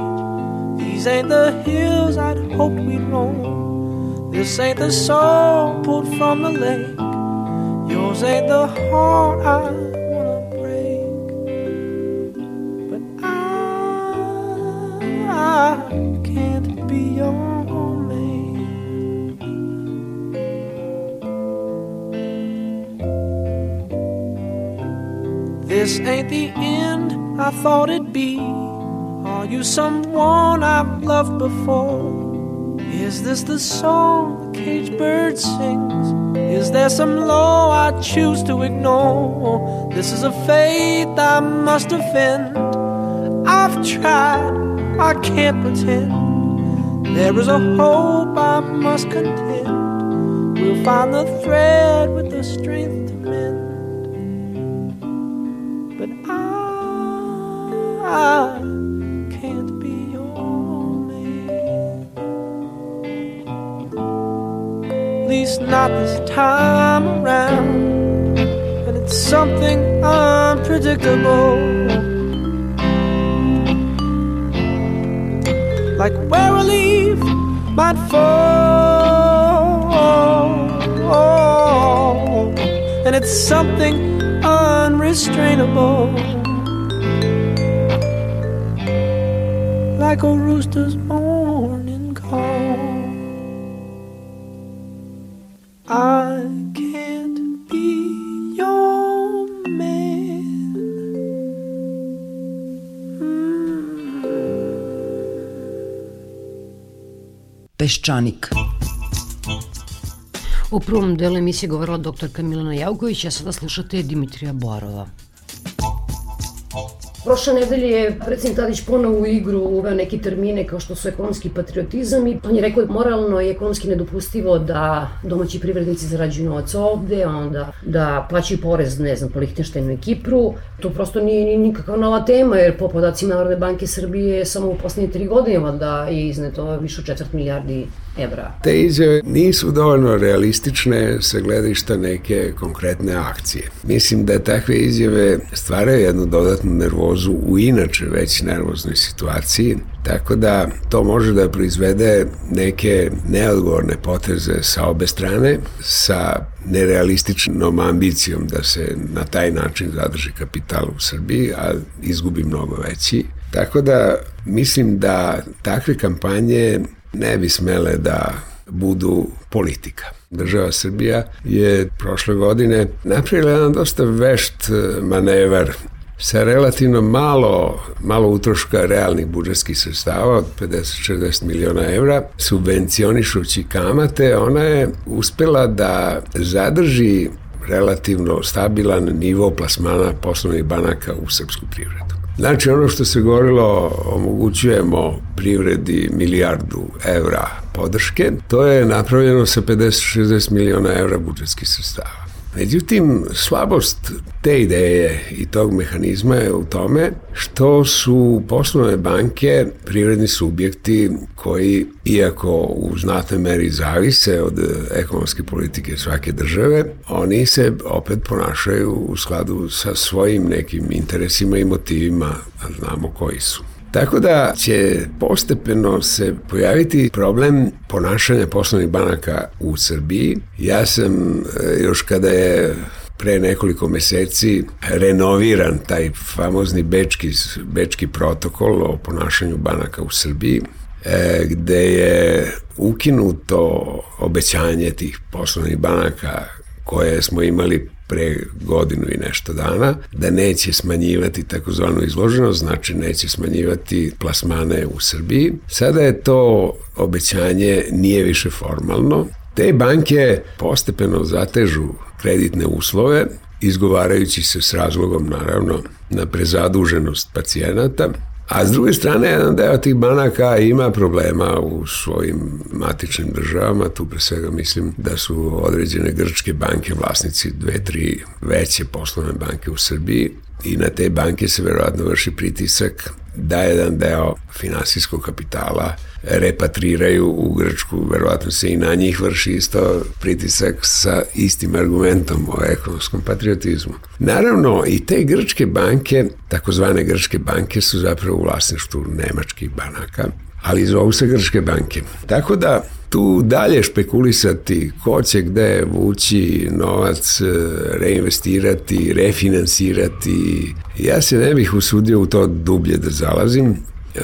These ain't the hills I'd hoped we'd roam. This ain't the song pulled from the lake. Yours ain't the heart I wanna break. But I, I can't be your man. This ain't the end I thought it'd be. Are you someone I've loved before? Is this the song the caged bird sings? Is there some law I choose to ignore? This is a faith I must offend. I've tried, I can't pretend. There is a hope I must contend. We'll find the thread with the strength to mend. But I, I can't be your man. At least not this time around. And it's something I unpredictable, like where a leaf might fall, and it's something unrestrainable, like a rooster's morning call. I can't be your man. Mm. Peščanik. U prvom delu emisije govorila doktorka Milena Javković, a sada slušate Dimitrija Borova. Prošle nedelje je predsjednik Tadić ponovo u igru uveo neke termine kao što su ekonomski patriotizam i on je rekao da moralno i ekonomski nedopustivo da domaći privrednici zarađuju novac ovde, onda da plaćaju porez, ne znam, po Lihtenštajnu i Kipru. To prosto nije, nije nikakva nova tema, jer po podacima Narodne banke Srbije samo u poslednje tri godine da je izneto više od četvrt milijardi evra. Te izjave nisu dovoljno realistične sa gledišta neke konkretne akcije. Mislim da takve izjave stvaraju jednu dodatnu nervozu u inače već nervoznoj situaciji, tako da to može da proizvede neke neodgovorne poteze sa obe strane, sa nerealističnom ambicijom da se na taj način zadrži kapital u Srbiji, a izgubi mnogo veći. Tako da mislim da takve kampanje ne bi smele da budu politika. Država Srbija je prošle godine napravila jedan dosta vešt manevar sa relativno malo, malo utroška realnih budžetskih sredstava od pedeset do šezdeset miliona evra, subvencionišući kamate, ona je uspela da zadrži relativno stabilan nivo plasmana poslovnih banaka u srpsku privredu. Znači, ono što se govorilo, omogućujemo privredi milijardu evra podrške, to je napravljeno sa pedeset do šezdeset miliona evra budžetskih sredstava. Međutim, slabost te ideje i tog mehanizma je u tome što su poslovne banke privredni subjekti koji, iako u znatnoj meri zavise od ekonomske politike svake države, oni se opet ponašaju u skladu sa svojim nekim interesima i motivima, a znamo koji su. Tako da će postepeno se pojaviti problem ponašanja poslovnih banaka u Srbiji. Ja sam još kada je pre nekoliko meseci renoviran taj famozni bečki, bečki protokol o ponašanju banaka u Srbiji, gde je ukinuto obećanje tih poslovnih banaka koje smo imali pre godinu i nešto dana, da neće smanjivati takozvanu izloženost, znači neće smanjivati plasmane u Srbiji. Sada je to obećanje nije više formalno. Te banke postepeno zatežu kreditne uslove, izgovarajući se s razlogom, naravno, na prezaduženost pacijenata, a s druge strane, jedan deo tih banaka ima problema u svojim matičnim državama, tu pre svega mislim da su određene grčke banke vlasnici dve, tri veće poslovne banke u Srbiji i na te banke se verovatno vrši pritisak da jedan deo finansijskog kapitala repatriraju u Grčku, verovatno se i na njih vrši isto pritisak sa istim argumentom o ekonomskom patriotizmu. Naravno, i te grčke banke, takozvane grčke banke, su zapravo u vlasništvu nemačkih banaka, ali zovu se grčke banke. Tako da tu dalje špekulisati ko će gde vući novac, reinvestirati, refinansirati, ja se ne bih usudio u to dublje da zalazim.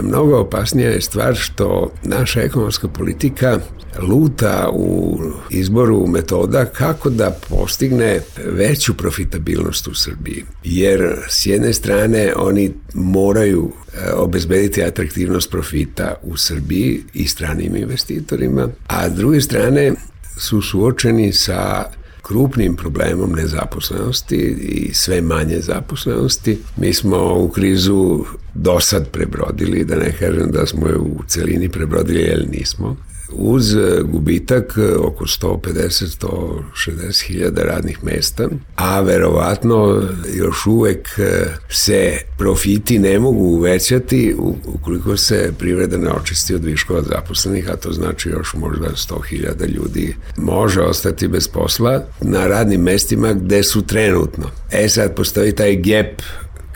Mnogo opasnija je stvar što naša ekonomska politika luta u izboru metoda kako da postigne veću profitabilnost u Srbiji. Jer s jedne strane oni moraju obezbediti atraktivnost profita u Srbiji i stranim investitorima, a s druge strane su suočeni sa krupnim problemom nezaposlenosti i sve manje zaposlenosti. Mi smo u krizu do sad prebrodili, da ne kažem da smo je u celini prebrodili, jer nismo. uz gubitak oko sto pedeset do sto šezdeset hiljada radnih mesta, a verovatno još uvek se profiti ne mogu uvećati ukoliko se privreda ne očisti od viškova zaposlenih, a to znači još možda sto hiljada ljudi može ostati bez posla na radnim mestima gde su trenutno. E sad postoji taj gap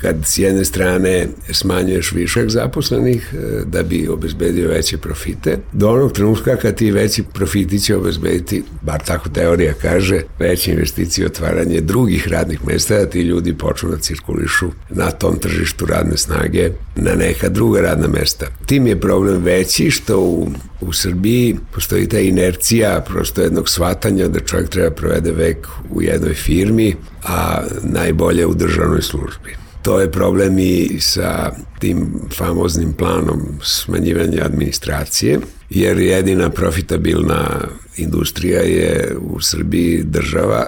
kad s jedne strane smanjuješ višak zaposlenih da bi obezbedio veće profite, do onog trenutka kad ti veći profiti će obezbediti, bar tako teorija kaže, veće investicije i otvaranje drugih radnih mesta, da ti ljudi počnu da cirkulišu na tom tržištu radne snage na neka druga radna mesta. Tim je problem veći što u, u Srbiji postoji ta inercija prosto jednog shvatanja da čovjek treba provede vek u jednoj firmi, a najbolje u državnoj službi. To je problem i sa tim famoznim planom smanjivanja administracije, jer jedina profitabilna industrija je u Srbiji država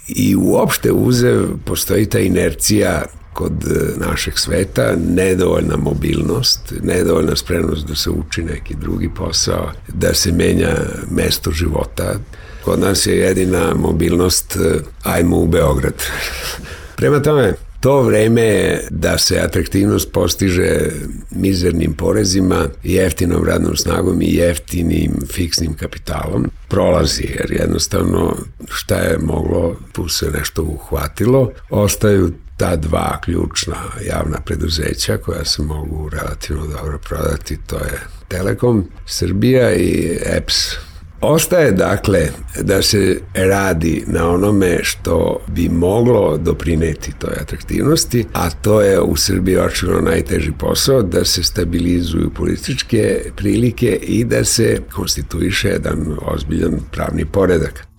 i uopšte uzev postoji ta inercija kod našeg sveta, nedovoljna mobilnost, nedovoljna spremnost da se uči neki drugi posao, da se menja mesto života. Kod nas je jedina mobilnost ajmo u Beograd. Prema tome, to vreme je da se atraktivnost postiže mizernim porezima, jeftinom radnom snagom i jeftinim fiksnim kapitalom. Prolazi, jer jednostavno šta je moglo, tu se nešto uhvatilo, ostaju ta dva ključna javna preduzeća koja se mogu relativno dobro prodati, to je Telekom Srbija i E P S. Ostaje dakle da se radi na onome što bi moglo doprineti toj atraktivnosti, a to je u Srbiji očigledno najteži posao, da se stabilizuju političke prilike i da se konstituiše jedan ozbiljan pravni poredak.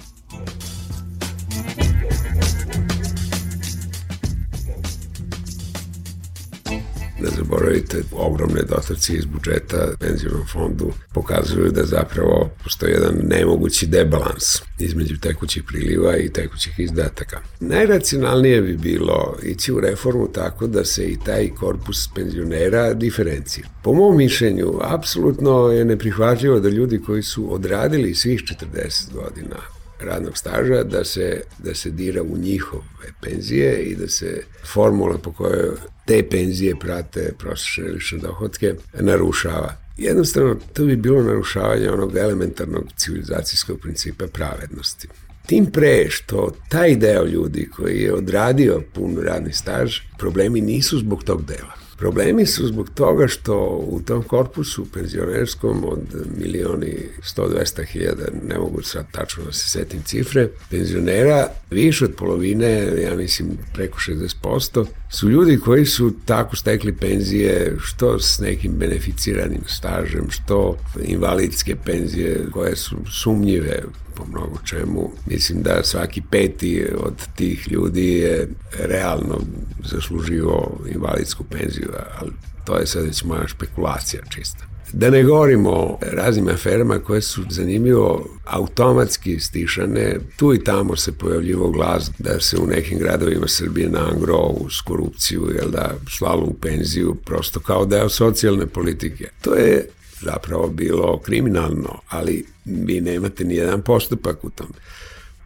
Ne zaboravite, ogromne dotacije iz budžeta penzionom fondu pokazuju da zapravo postoji jedan nemogući debalans između tekućih priliva i tekućih izdataka. Najracionalnije bi bilo ići u reformu tako da se i taj korpus penzionera diferencija. Po mom mišljenju, apsolutno je neprihvatljivo da ljudi koji su odradili svih četrdeset godina radnog staža, da se, da se dira u njihove penzije i da se formula po kojoj te penzije prate prosječne lične dohotke narušava. Jednostavno, to bi bilo narušavanje onog elementarnog civilizacijskog principa pravednosti. Tim pre što taj deo ljudi koji je odradio pun radni staž, problemi nisu zbog tog dela. Problemi su zbog toga što u tom korpusu penzionerskom od milioni sto do dvesta hiljada, ne mogu sad tačno da se setim cifre, penzionera, više od polovine, ja mislim preko šezdeset posto, su ljudi koji su tako stekli penzije, što s nekim beneficiranim stažem, što invalidske penzije koje su sumnjive po mnogo čemu. Mislim da svaki peti od tih ljudi je realno zaslužio invalidsku penziju, ali to je sad već moja špekulacija čista. Da ne govorimo o raznim aferama koje su zanimljivo automatski stišane, tu i tamo se pojavljivo glas da se u nekim gradovima Srbije na angro uz korupciju, jel da, slalo u penziju prosto kao deo socijalne politike. To je zapravo bilo kriminalno, ali vi nemate ni jedan postupak u tom.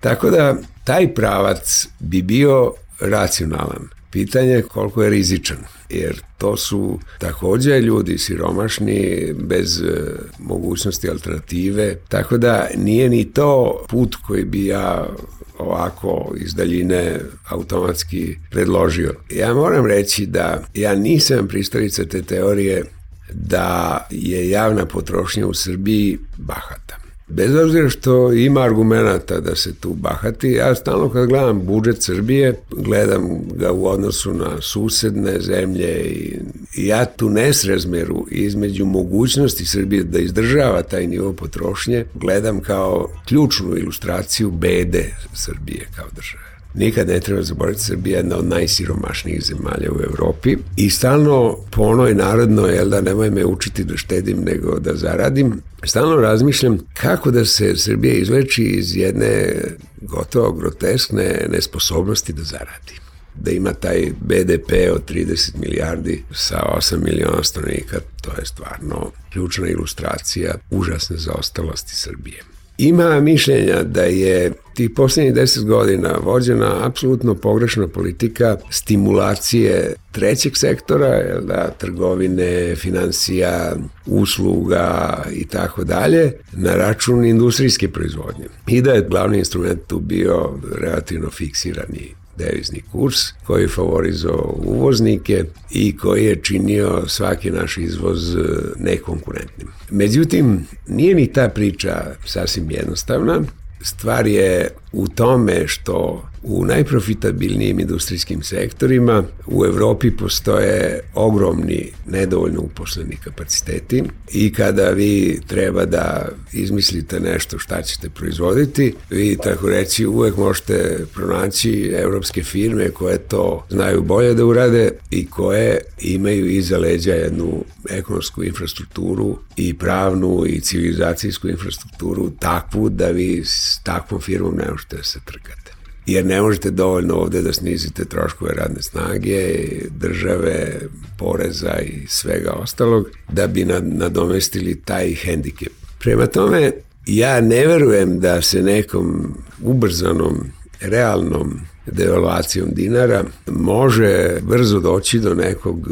Tako da taj pravac bi bio racionalan. Pitanje je koliko je rizičan, jer to su takođe ljudi siromašni bez mogućnosti alternative, tako da nije ni to put koji bi ja ovako iz daljine automatski predložio. Ja moram reći da ja nisam pristalica te teorije da je javna potrošnja u Srbiji bahata. Bez obzira što ima argumenata da se tu bahati, ja stalno kad gledam budžet Srbije, gledam ga u odnosu na susedne zemlje i ja tu nesrazmeru između mogućnosti Srbije da izdržava taj nivo potrošnje, gledam kao ključnu ilustraciju bede Srbije kao države. Nikad ne treba zaboraviti, Srbija je jedna od najsiromašnijih zemalja u Evropi i stalno po onoj narodnoj, jel da, nemoj me učiti da štedim nego da zaradim, stalno razmišljam kako da se Srbija izleči iz jedne gotovo groteskne nesposobnosti da zaradi. da ima taj be de pe od trideset milijardi sa osam miliona stanovnika, to je stvarno ključna ilustracija užasne zaostalosti Srbije. Ima mišljenja da je tih poslednjih deset godina vođena apsolutno pogrešna politika stimulacije trećeg sektora, jel da, trgovine, finansija, usluga i tako dalje, na račun industrijske proizvodnje. I da je glavni instrument tu bio relativno fiksirani devizni kurs koji je favorizovao uvoznike i koji je činio svaki naš izvoz nekonkurentnim. Međutim, nije ni ta priča sasvim jednostavna. Stvar je u tome što u najprofitabilnijim industrijskim sektorima u Evropi postoje ogromni nedovoljno uposleni kapaciteti i kada vi treba da izmislite nešto šta ćete proizvoditi, vi tako reći uvek možete pronaći evropske firme koje to znaju bolje da urade i koje imaju iza leđa jednu ekonomsku infrastrukturu i pravnu i civilizacijsku infrastrukturu takvu da vi s takvom firmom ne možete da se trkate. Jer ne možete dovoljno ovde da snizite troškove radne snage, države, poreza i svega ostalog da bi nadomestili taj hendikep. Prema tome, ja ne verujem da se nekom ubrzanom, realnom devalvacijom dinara može brzo doći do nekog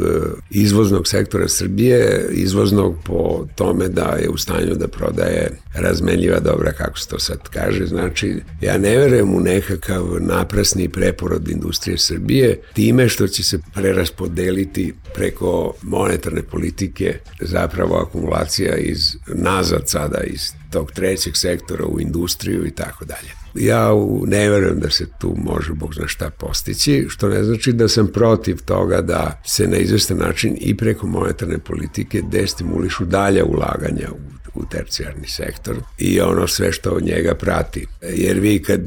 izvoznog sektora Srbije, izvoznog po tome da je u stanju da prodaje razmenljiva dobra, kako se to sad kaže. Znači, ja ne verujem u nekakav naprasni preporod industrije Srbije time što će se preraspodeliti preko monetarne politike zapravo akumulacija iz nazad sada iz tog trećeg sektora u industriju i tako dalje. Ja ne verujem da se tu može Bog zna šta postići, što ne znači da sam protiv toga da se na izvestan način i preko monetarne politike destimulišu dalja ulaganja u, u tercijarni sektor i ono sve što od njega prati. Jer vi kad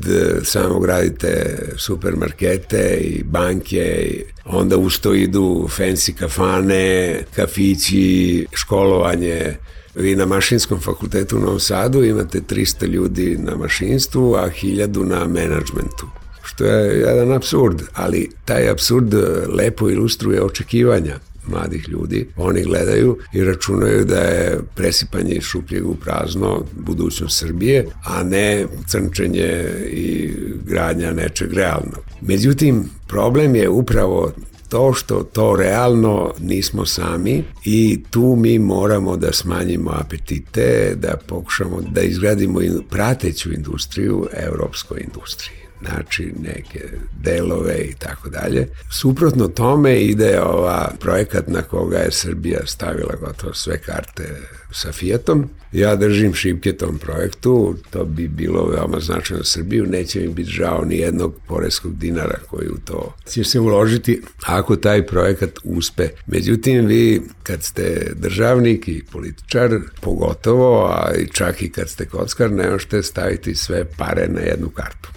samo gradite supermarkete i banke, onda usto idu fancy kafane, kafići, školovanje. Vi na Mašinskom fakultetu u Novom Sadu imate trista ljudi na mašinstvu, a hiljadu na menadžmentu. Što je jedan apsurd, ali taj apsurd lepo ilustruje očekivanja mladih ljudi. Oni gledaju i računaju da je presipanje iz šupljeg u prazno budućnost Srbije, a ne crnčenje i gradnja nečeg realnog. Međutim, problem je upravo to što to realno nismo sami i tu mi moramo da smanjimo apetite, da pokušamo da izgradimo prateću industriju evropskoj industriji. Znači neke delove i tako dalje. Suprotno tome ide ova projekat na koga je Srbija stavila gotovo sve karte sa Fiatom. Ja držim šipke tom projektu, to bi bilo veoma značajno za Srbiju, neće mi biti žao ni jednog poreskog dinara koji u to će se uložiti ako taj projekat uspe. Međutim, vi kad ste državnik i političar, pogotovo, a čak i kad ste kockar, ne možete staviti sve pare na jednu kartu.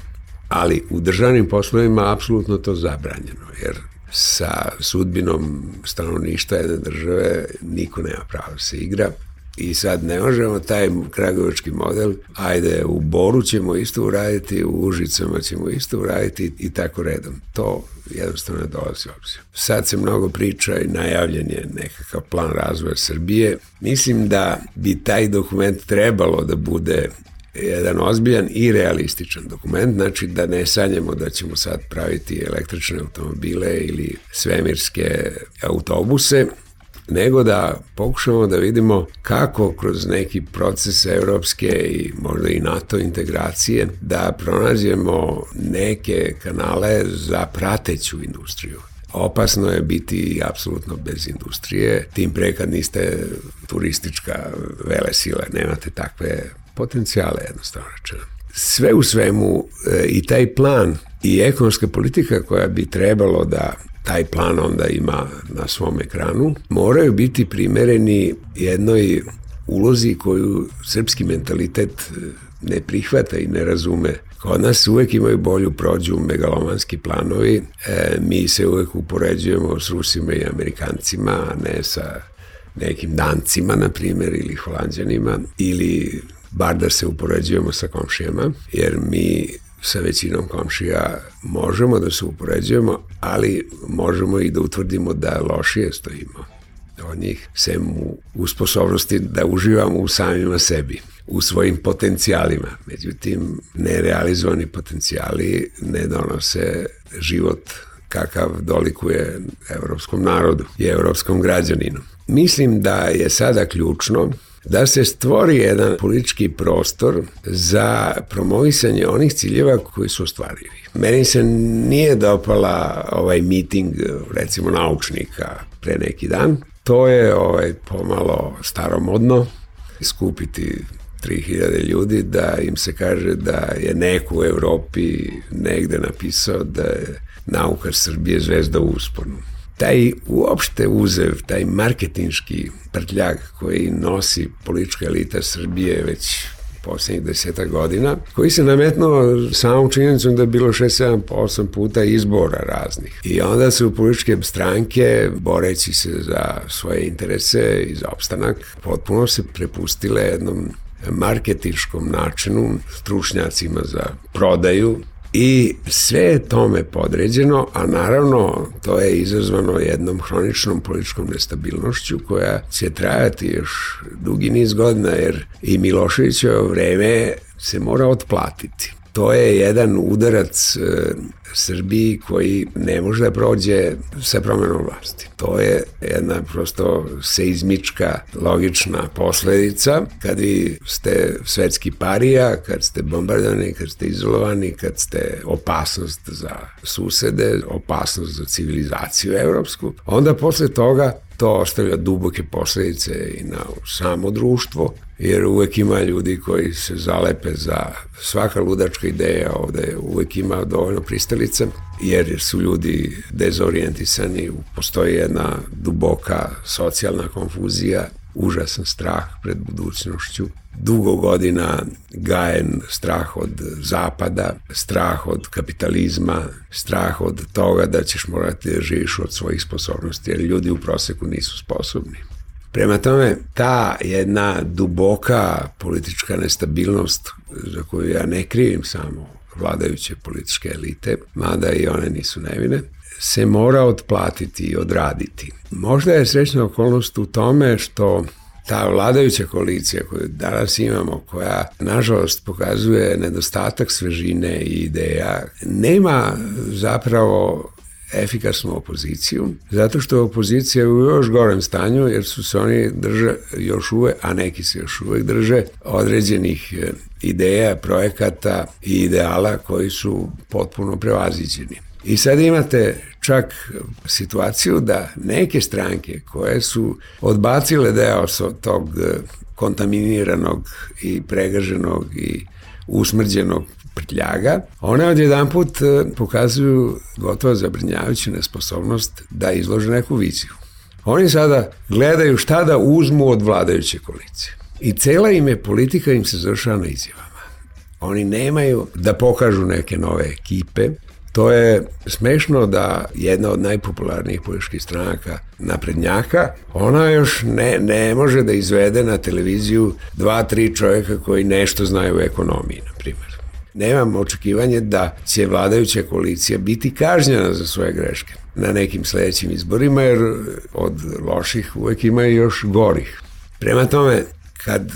Ali u državnim poslovima apsolutno to zabranjeno, jer sa sudbinom stanovništva jedne države niko nema pravo da se igra. I sad ne možemo taj kragujevački model, ajde u Boru ćemo isto uraditi, u Užicama ćemo isto uraditi i tako redom. To jednostavno ne dolazi u obzir. Sad se mnogo priča i najavljen je nekakav plan razvoja Srbije. Mislim da bi taj dokument trebalo da bude jedan ozbiljan i realističan dokument, znači da ne sanjamo da ćemo sad praviti električne automobile ili svemirske autobuse, nego da pokušamo da vidimo kako kroz neki proces evropske i možda i NATO integracije da pronađemo neke kanale za prateću industriju. Opasno je biti apsolutno bez industrije, tim pre kad niste turistička velesila, nemate takve potencijale, jednostavno rečeno. Sve u svemu i taj plan i ekonomska politika koja bi trebalo da taj plan onda ima na svom ekranu, moraju biti primereni jednoj ulozi koju srpski mentalitet ne prihvata i ne razume. Kod nas uvek imaju bolju prođu megalomanski planovi, e, mi se uvek upoređujemo s Rusima i Amerikancima, a ne sa nekim Dancima, na primjer, ili Holanđanima, ili bar da se upoređujemo sa komšijama, jer mi sa većinom komšija možemo da se upoređujemo, ali možemo i da utvrdimo da lošije stojimo od njih, sem u sposobnosti da uživamo u samima sebi, u svojim potencijalima. Međutim, nerealizovani potencijali ne donose život kakav dolikuje evropskom narodu i evropskom građaninu. Mislim da je sada ključno da se stvori jedan politički prostor za promovisanje onih ciljeva koji su ostvarivi. Meni se nije dopala ovaj miting, recimo, naučnika pre neki dan. To je ovaj, pomalo staromodno, skupiti tri hiljade ljudi da im se kaže da je neko u Evropi negde napisao da je nauka Srbije zvezda u usponu. Taj uopšte uzev, taj marketinški prtljag koji nosi politička elita Srbije već poslednjih desetak godina, koji se nametnuo samom činjenicom da je bilo šest, sedam, osam puta izbora raznih. I onda su političke stranke, boreći se za svoje interese i za opstanak, potpuno se prepustile jednom marketinškom načinu, stručnjacima za prodaju, i sve je tome podređeno, a naravno to je izazvano jednom hroničnom političkom nestabilnošću koja će trajati još dugi niz godina, jer i Miloševićevo vreme se mora otplatiti. To je jedan udarac e, Srbiji koji ne može da prođe sa promenom vlasti. To je jedna prosto seizmička, logična posledica. Kad vi ste svetski parija, kad ste bombardovani, kad ste izolovani, kad ste opasnost za susede, opasnost za civilizaciju evropsku, onda posle toga to ostavlja duboke posledice i na samo društvo, jer uvek ima ljudi koji se zalepe za svaka ludačka ideja, ovde uvek ima dovoljno pristalica, jer su ljudi dezorijentisani, postoji jedna duboka socijalna konfuzija, užasan strah pred budućnošću, dugo godina gajen strah od zapada, strah od kapitalizma, strah od toga da ćeš morati da živiš od svojih sposobnosti, jer ljudi u proseku nisu sposobni. Prema tome, ta jedna duboka politička nestabilnost, za koju ja ne krivim samo vladajuće političke elite, mada i one nisu nevine, se mora otplatiti i odraditi. Možda je srećna okolnost u tome što ta vladajuća koalicija koju danas imamo, koja nažalost pokazuje nedostatak svežine i ideja, nema zapravo efikasnu opoziciju, zato što opozicija je u još gorem stanju, jer su se oni drže još uvek, a neki se još uvek drže određenih ideja, projekata i ideala koji su potpuno prevaziđeni. I sad imate čak situaciju da neke stranke koje su odbacile deo tog kontaminiranog i pregaženog i usmrđenog prtljaga, one odjedan put pokazuju gotovo zabrinjavajuću nesposobnost da izlože neku viziju. Oni sada gledaju šta da uzmu od vladajuće koalicije. I cela im je politika im se završava na izjavama. Oni nemaju da pokažu neke nove ekipe. To je smešno da jedna od najpopularnijih političkih stranaka, naprednjaka, ona još ne, ne može da izvede na televiziju dva, tri čovjeka koji nešto znaju o ekonomiji, na primjer. Nemam očekivanje da će vladajuća koalicija biti kažnjena za svoje greške na nekim sledećim izborima, jer od loših uvek ima i još gorih. Prema tome, kad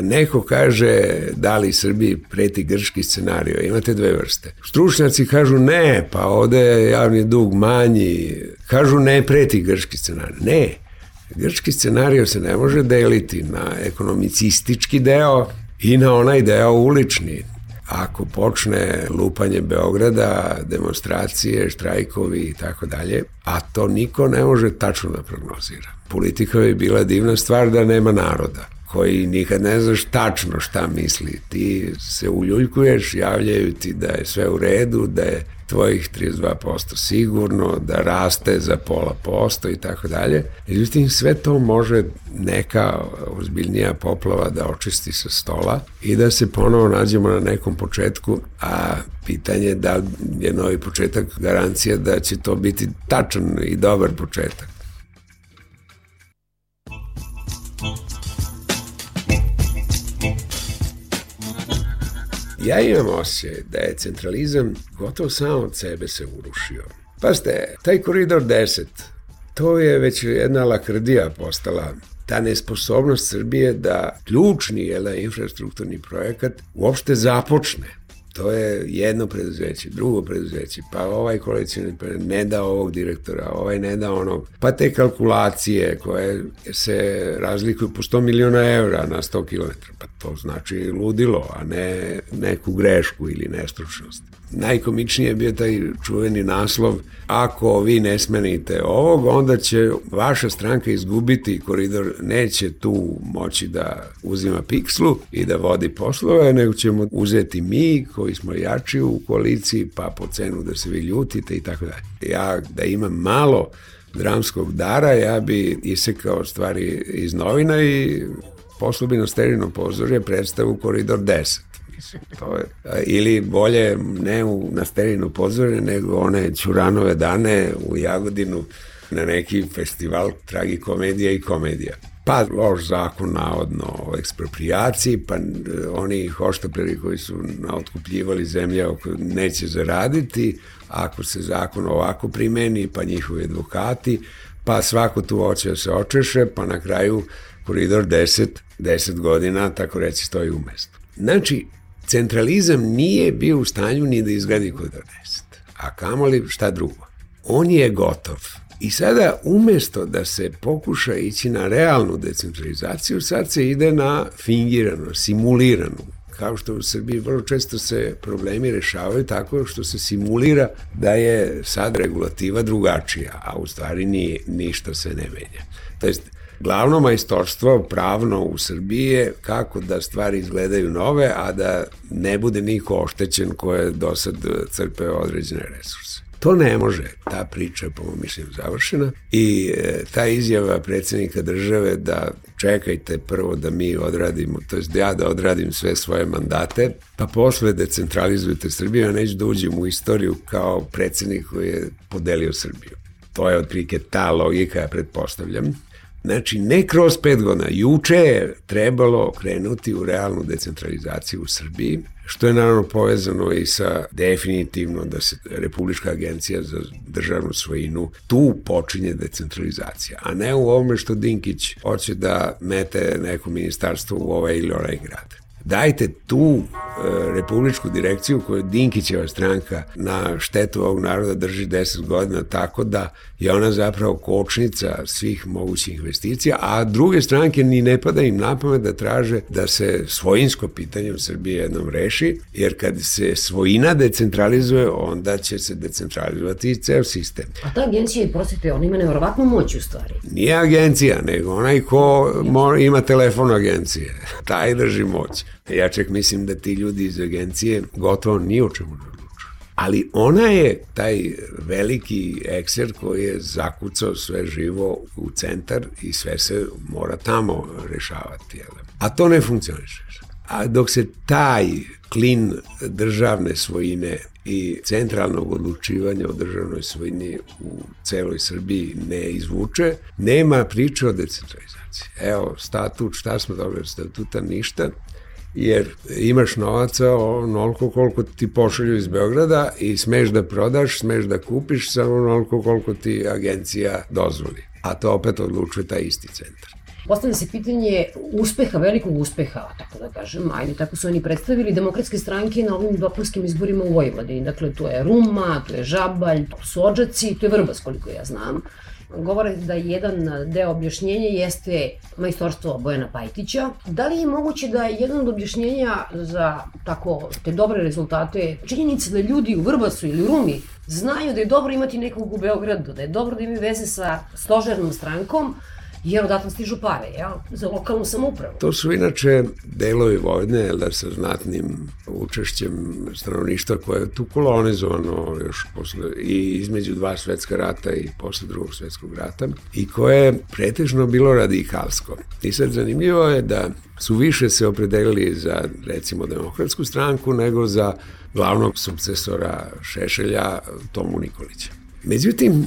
neko kaže da li Srbiji preti grčki scenario, imate dve vrste. Stručnjaci kažu ne, pa ovde je javni dug manji, kažu ne preti grčki scenario. Ne, grčki scenario se ne može deliti na ekonomicistički deo i na onaj deo ulični. Ako počne lupanje Beograda, demonstracije, štrajkovi i tako dalje, a to niko ne može tačno da prognozira. Politika bi bila divna stvar da nema naroda, koji nikad ne znaš tačno šta misli. Ti se uljuljkuješ, javljaju ti da je sve u redu, da je tvojih trideset dva posto sigurno, da raste za pola posto i tako dalje. Međutim, sve to može neka ozbiljnija poplava da očisti sa stola i da se ponovo nađemo na nekom početku, a pitanje je da je novi početak garancija da će to biti tačan i dobar početak. Ja imam osjećaj da je centralizam gotovo sam od sebe se urušio. Pazite, taj koridor deset, to je već jedna lakrdija postala, ta nesposobnost Srbije da ključni jel, infrastrukturni projekat uopšte započne. To je jedno preduzeće, drugo preduzeće, pa ovaj koalicijni ne da ovog direktora, ovaj ne da onog, pa te kalkulacije koje se razlikuju po sto miliona evra na sto kilometara, pa to znači ludilo, a ne neku grešku ili nestručnost. Najkomičnije je bio taj čuveni naslov: ako vi ne smenite ovog, onda će vaša stranka izgubiti koridor, neće tu moći da uzima pikslu i da vodi poslove, nego ćemo uzeti mi koji smo jači u koaliciji, pa po cenu da se vi ljutite i tako dalje. Ja da imam malo dramskog dara, ja bi isekao stvari iz novina i poslao bi na Sterino pozorje predstavu Koridor deset. To je, ili bolje ne u, na Sterino pozorje, nego one Ćuranove dane u Jagodinu na neki festival tragikomedija i komedija. Pa loš zakon navodno o eksproprijaciji, pa oni hoštapleri koji su otkupljivali zemlje neće zaraditi, ako se zakon ovako primeni, pa njihovi advokati, pa svako tu hoće da se očeše, pa na kraju Koridor deset, deset godina, tako reći, stoji u mestu. Znači, centralizam nije bio u stanju ni da izgradi Koridor deset, a kamoli šta drugo. On je gotov. I sada, umesto da se pokuša ići na realnu decentralizaciju, sad se ide na fingiranu, simuliranu. Kao što u Srbiji vrlo često se problemi rešavaju tako što se simulira da je sad regulativa drugačija, a u stvari ni, ništa se ne menja. To jest, glavno majstorstvo pravno u Srbiji je kako da stvari izgledaju nove, a da ne bude niko oštećen ko je do sad crpeo određene resurse. To ne može, ta priča je po mom mišljenju završena i e, ta izjava predsjednika države da čekajte prvo da mi odradimo, to jest da ja da odradim sve svoje mandate, pa posle decentralizujete Srbiju, a neću da uđem u istoriju kao predsjednik koji je podelio Srbiju. To je otprilike ta logika, ja pretpostavljam. Znači, ne kroz pet godina, juče je trebalo krenuti u realnu decentralizaciju u Srbiji, što je naravno povezano i sa definitivno da se Republička agencija za državnu svojinu tu počinje decentralizacija, a ne u ovome što Dinkić hoće da mete neko ministarstvo u ovaj ili onaj grad. Dajte tu e, republičku direkciju koju Dinkićeva stranka na štetu ovog naroda drži deset godina tako da je ona zapravo kočnica svih mogućih investicija, a druge stranke ni ne pada im na pamet da traže da se svojinsko pitanje u Srbiji jednom reši, jer kad se svojina decentralizuje, onda će se decentralizovati i ceo sistem. A ta agencija, prosite, ona ima nevjerovatnu moć u stvari. Nije agencija, nego onaj ko ima telefon agencije, taj drži moć. Ja čak mislim da ti ljudi iz agencije gotovo ni o čemu ne odlučuju. Ali ona je taj veliki ekser koji je zakucao sve živo u centar i sve se mora tamo rešavati. A to ne funkcioniše. A dok se taj klin državne svojine i centralnog odlučivanja o državnoj svojini u celoj Srbiji ne izvuče, nema priče o decentralizaciji. Evo, statut, šta smo dobili statuta? Ništa. Jer imaš novaca onoliko koliko ti pošalju iz Beograda i smeš da prodaš, smeš da kupiš samo onoliko koliko ti agencija dozvoli. A to opet odlučuje taj isti centar. Postavlja se pitanje uspeha, velikog uspeha, tako da kažem, ajde, tako su oni predstavili demokratske stranke na ovim dopunskim izborima u Vojvodini. Dakle, to je Ruma, to je Žabalj, to su Odžaci, to je Vrbas, koliko ja znam. Govore da jedan deo objašnjenja jeste majstorstvo Bojana Pajtića. Da li je moguće da je jedan od objašnjenja za tako te dobre rezultate činjenica da ljudi u Vrbasu ili u Rumi znaju da je dobro imati nekog u Beogradu, da je dobro da imaju veze sa stožernom strankom, jer odatle stižu pare, ja, za lokalnu samoupravu. To su inače delovi Vojvodine, da sa znatnim učešćem stanovništva koje je tu kolonizovano još posle, i između dva svetska rata i posle drugog svetskog rata, i koje je pretežno bilo radikalsko. I sad zanimljivo je da su više se opredelili za, recimo, Demokratsku stranku nego za glavnog sukcesora Šešelja, Tomu Nikolića. Međutim,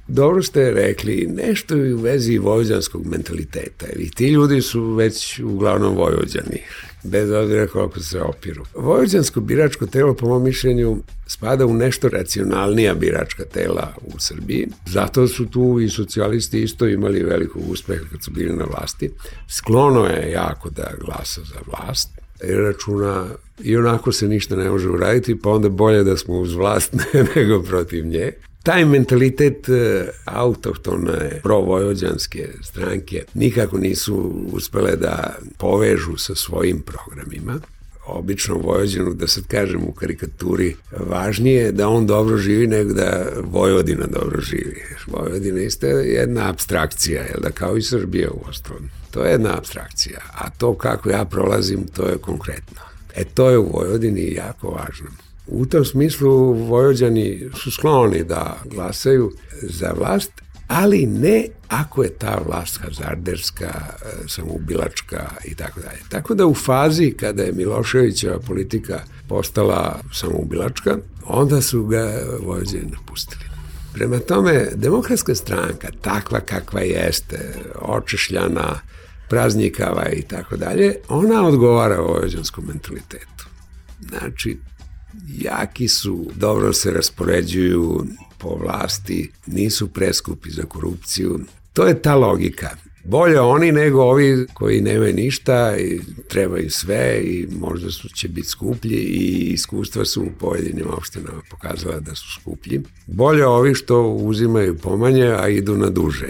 dobro ste rekli, nešto je u vezi vojvođanskog mentaliteta. I ti ljudi su već uglavnom Vojvođani, bez obzira koliko se opiru. Vojvođansko biračko telo, po mom mišljenju, spada u nešto racionalnija biračka tela u Srbiji. Zato su tu i socijalisti isto imali velikog uspeha kad su bili na vlasti. Sklono je jako da glasa za vlast, jer računa i onako se ništa ne može uraditi, pa onda bolje da smo uz vlast nego protiv nje. Taj mentalitet autohtone provojvođanske stranke nikako nisu uspele da povežu sa svojim programima. Obično Vojvođanu, da sad kažem u karikaturi, važnije je da on dobro živi nego da Vojvodina dobro živi. Vojvodina isto je jedna apstrakcija, jel da, kao i Srbija u ostalom. To je jedna apstrakcija, a to kako ja prolazim, to je konkretno. E to je u Vojvodini jako važno. U tom smislu Vojvođani su skloni da glasaju za vlast, ali ne ako je ta vlast hazarderska, samoubilačka i tako dalje. Tako da u fazi kada je Miloševićeva politika postala samoubilačka, onda su ga Vojvođani napustili. Prema tome, Demokratska stranka, takva kakva jeste, očešljana, praznikava i tako dalje, ona odgovara vojvođanskom mentalitetu. Znači, jaki su, dobro se raspoređuju po vlasti, nisu preskupi za korupciju. To je ta logika. Bolje oni nego ovi koji nemaju ništa i trebaju sve i možda su, će biti skuplji i iskustva su u pojedinim opštinama pokazala da su skuplji. Bolje ovi što uzimaju pomanje, a idu na duže.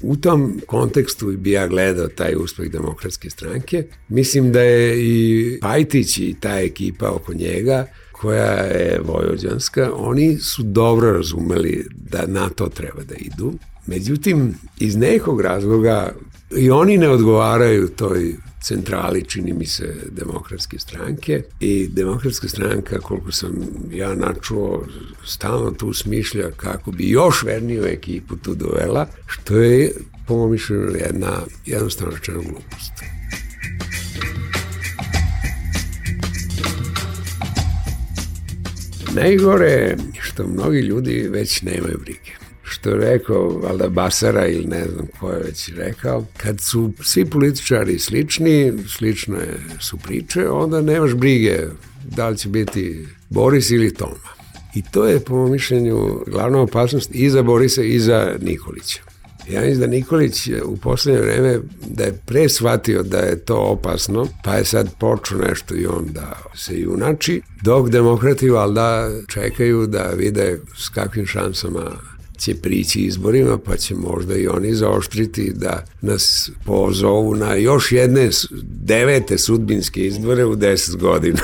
U tom kontekstu bi ja gledao taj uspeh Demokratske stranke. Mislim da je i Pajtić i ta ekipa oko njega, koja je vojvođanska, oni su dobro razumeli da na to treba da idu. Međutim, iz nekog razloga i oni ne odgovaraju toj centrali, čini mi se, Demokratske stranke, i Demokratska stranka, koliko sam ja načuo, stalno tu smišlja kako bi još verniju ekipu tu dovela, što je, po mom mišljenju, jedna jednostavno rečena glupost. Najgore je što mnogi ljudi već nemaju brige. Što je rekao, valjda Basara ili ne znam ko je već rekao, kad su svi političari slični, slično je, su priče, onda nemaš brige da li će biti Boris ili Toma. I to je, po mom mišljenju, glavna opasnost i za Borisa i za Nikolića. Ja mislim da Nikolić u poslednje vreme da je pre shvatio da je to opasno, pa je sad počeo nešto i on da se junači, dok demokrati valjda čekaju da vide s kakvim šansama će prići izborima, pa će možda i oni zaoštriti da nas pozovu na još jedne devete sudbinske izbore u deset godina.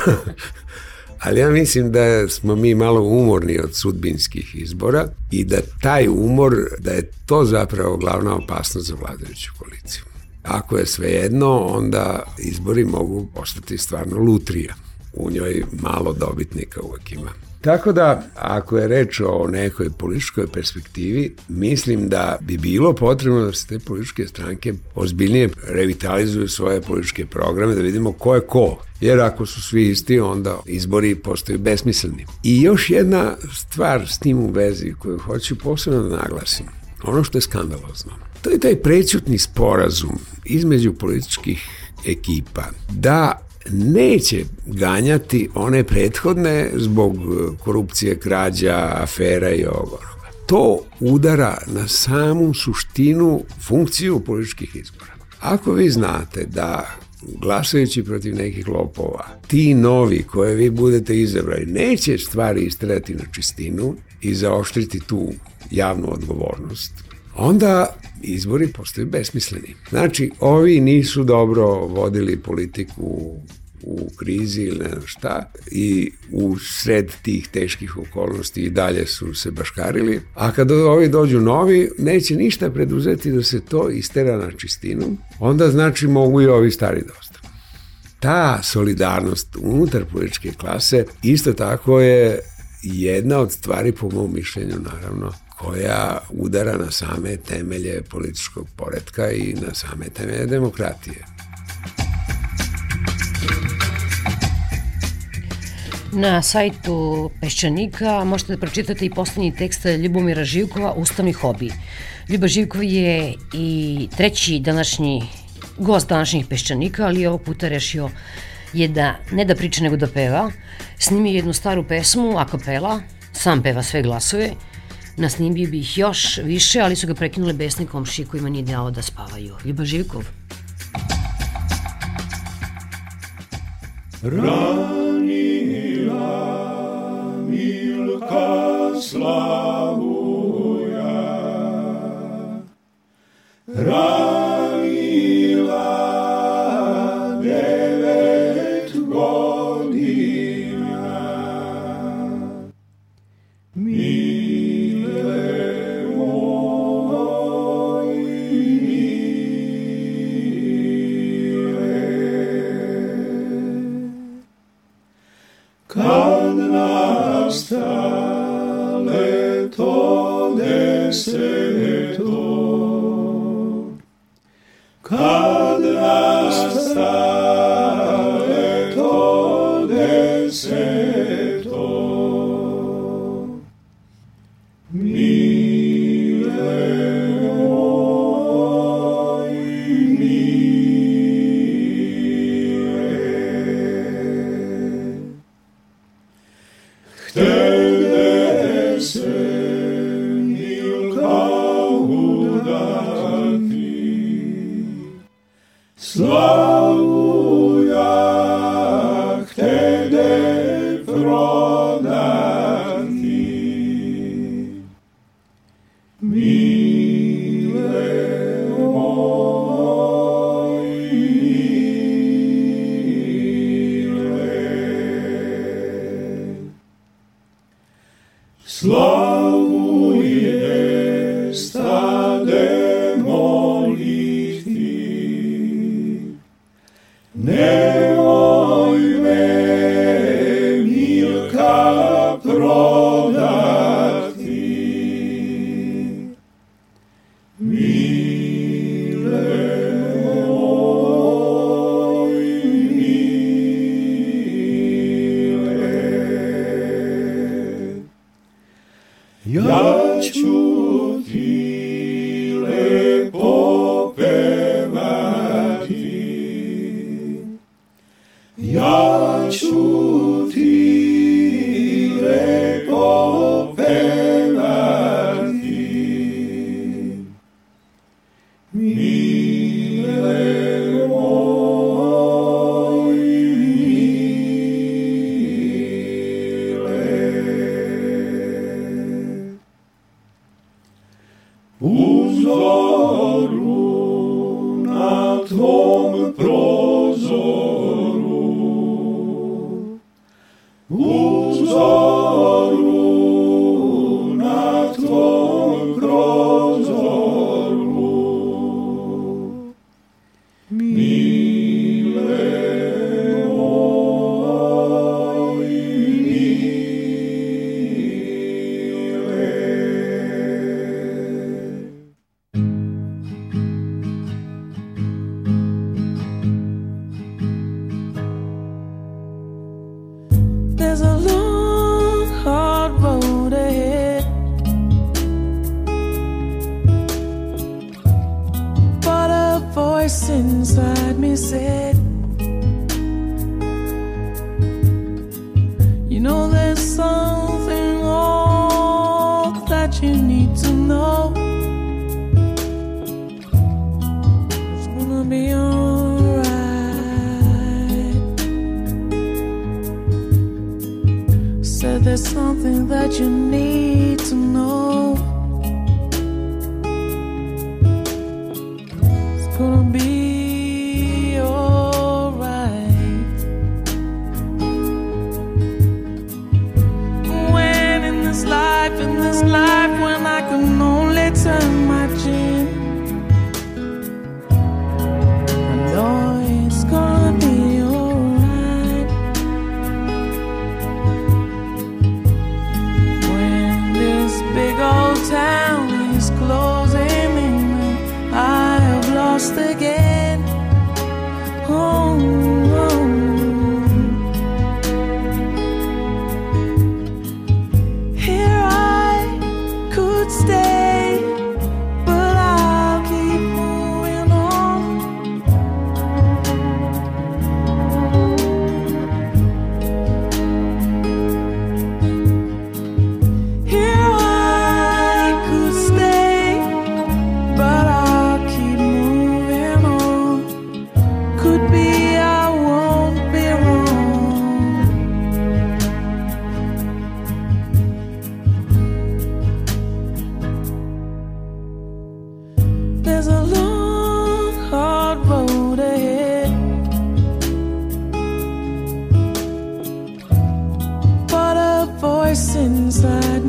Ali ja mislim da smo mi malo umorni od sudbinskih izbora i da taj umor, da je to zapravo glavna opasnost za vladajuću koaliciju. Ako je svejedno, onda izbori mogu postati stvarno lutrija. U njoj malo dobitnika uvek ima. Tako da, ako je reč o nekoj političkoj perspektivi, mislim da bi bilo potrebno da se te političke stranke ozbiljnije revitalizuju svoje političke programe, da vidimo ko je ko. Jer ako su svi isti, onda izbori postaju besmisleni. I još jedna stvar s tim u vezi koju hoću posebno da naglasim, ono što je skandalozno, to je taj prećutni sporazum između političkih ekipa da neće ganjati one prethodne zbog korupcije, krađa, afera i ovoga. To udara na samu suštinu, funkciju političkih izbora. Ako vi znate da glasajući protiv nekih lopova, ti novi koje vi budete izabrali neće stvari istrati na čistinu i zaoštriti tu javnu odgovornost, onda izbori postaju besmisleni. Znači, ovi nisu dobro vodili politiku u krizi ili ne znam šta i u sred tih teških okolnosti i dalje su se baškarili, a kad ovi dođu novi, neće ništa preduzeti da se to istera na čistinu, onda znači mogu i ovi stari dosta. Ta solidarnost unutar političke klase isto tako je jedna od stvari, po mom mišljenju, naravno, koja udara na same temelje političkog poretka i na same temelje demokratije. Na sajtu Peščanika možete da pročitate i poslednji tekst Ljubomira Živkova, Ustavni hobi. Ljuba Živkov je i treći današnji gost današnjih Peščanika, ali ovog puta rešio je da ne da priča nego da peva. Snimio jednu staru pesmu, a kapela, sam peva sve glasove. Nasnimio bi ih još više, ali su ga prekinule besne komšije kojima nije dao da spavaju. Ljuba Živkov. Ranila Milka Slavuja, ranila devet godina, mile moj, kad nastale to deseto, kad nastale to deseto, mile moj, htede se Milka udati, Slavuja htede prodati, mile moj, Slavuje stade moliti, nemoj me Milka prodati, mile moj, ja ću ti lepo pevati, ja ću ti lepo pevati, mile moj, u zoru na tvom prozoru, u zoru na tvom prozoru, mile moj, There's a long, hard road ahead, but a voice inside me said, you know there's something all that you need to know. It's gonna be alright. Said there's something that you need to know. It's gonna be alright. When in this life, in this life, when I can only turn my chin, I know it's gonna be alright. When this big old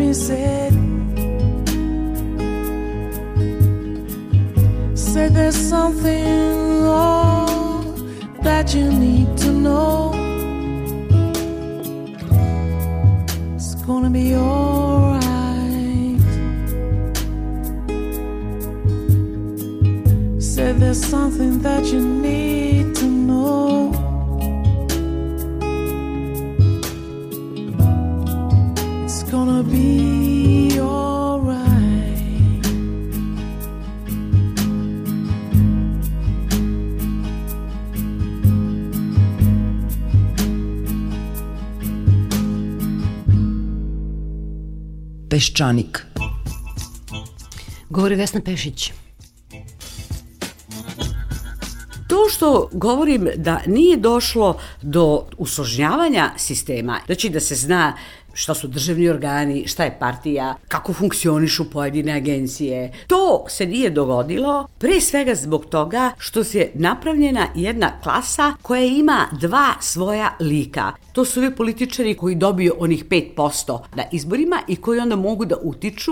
he said, said there's something oh, that you need to know. It's gonna be alright. Said there's something that you need to know. It's gonna be alright. Peščanik. Govori Vesna Pešić. To što govorim da nije došlo do usložnjavanja sistema, znači da se zna šta su državni organi, šta je partija, kako funkcionišu pojedine agencije. To se nije dogodilo, pre svega zbog toga što se napravljena jedna klasa koja ima dva svoja lika. To su ovi političari koji dobiju onih pet posto na izborima i koji onda mogu da utiču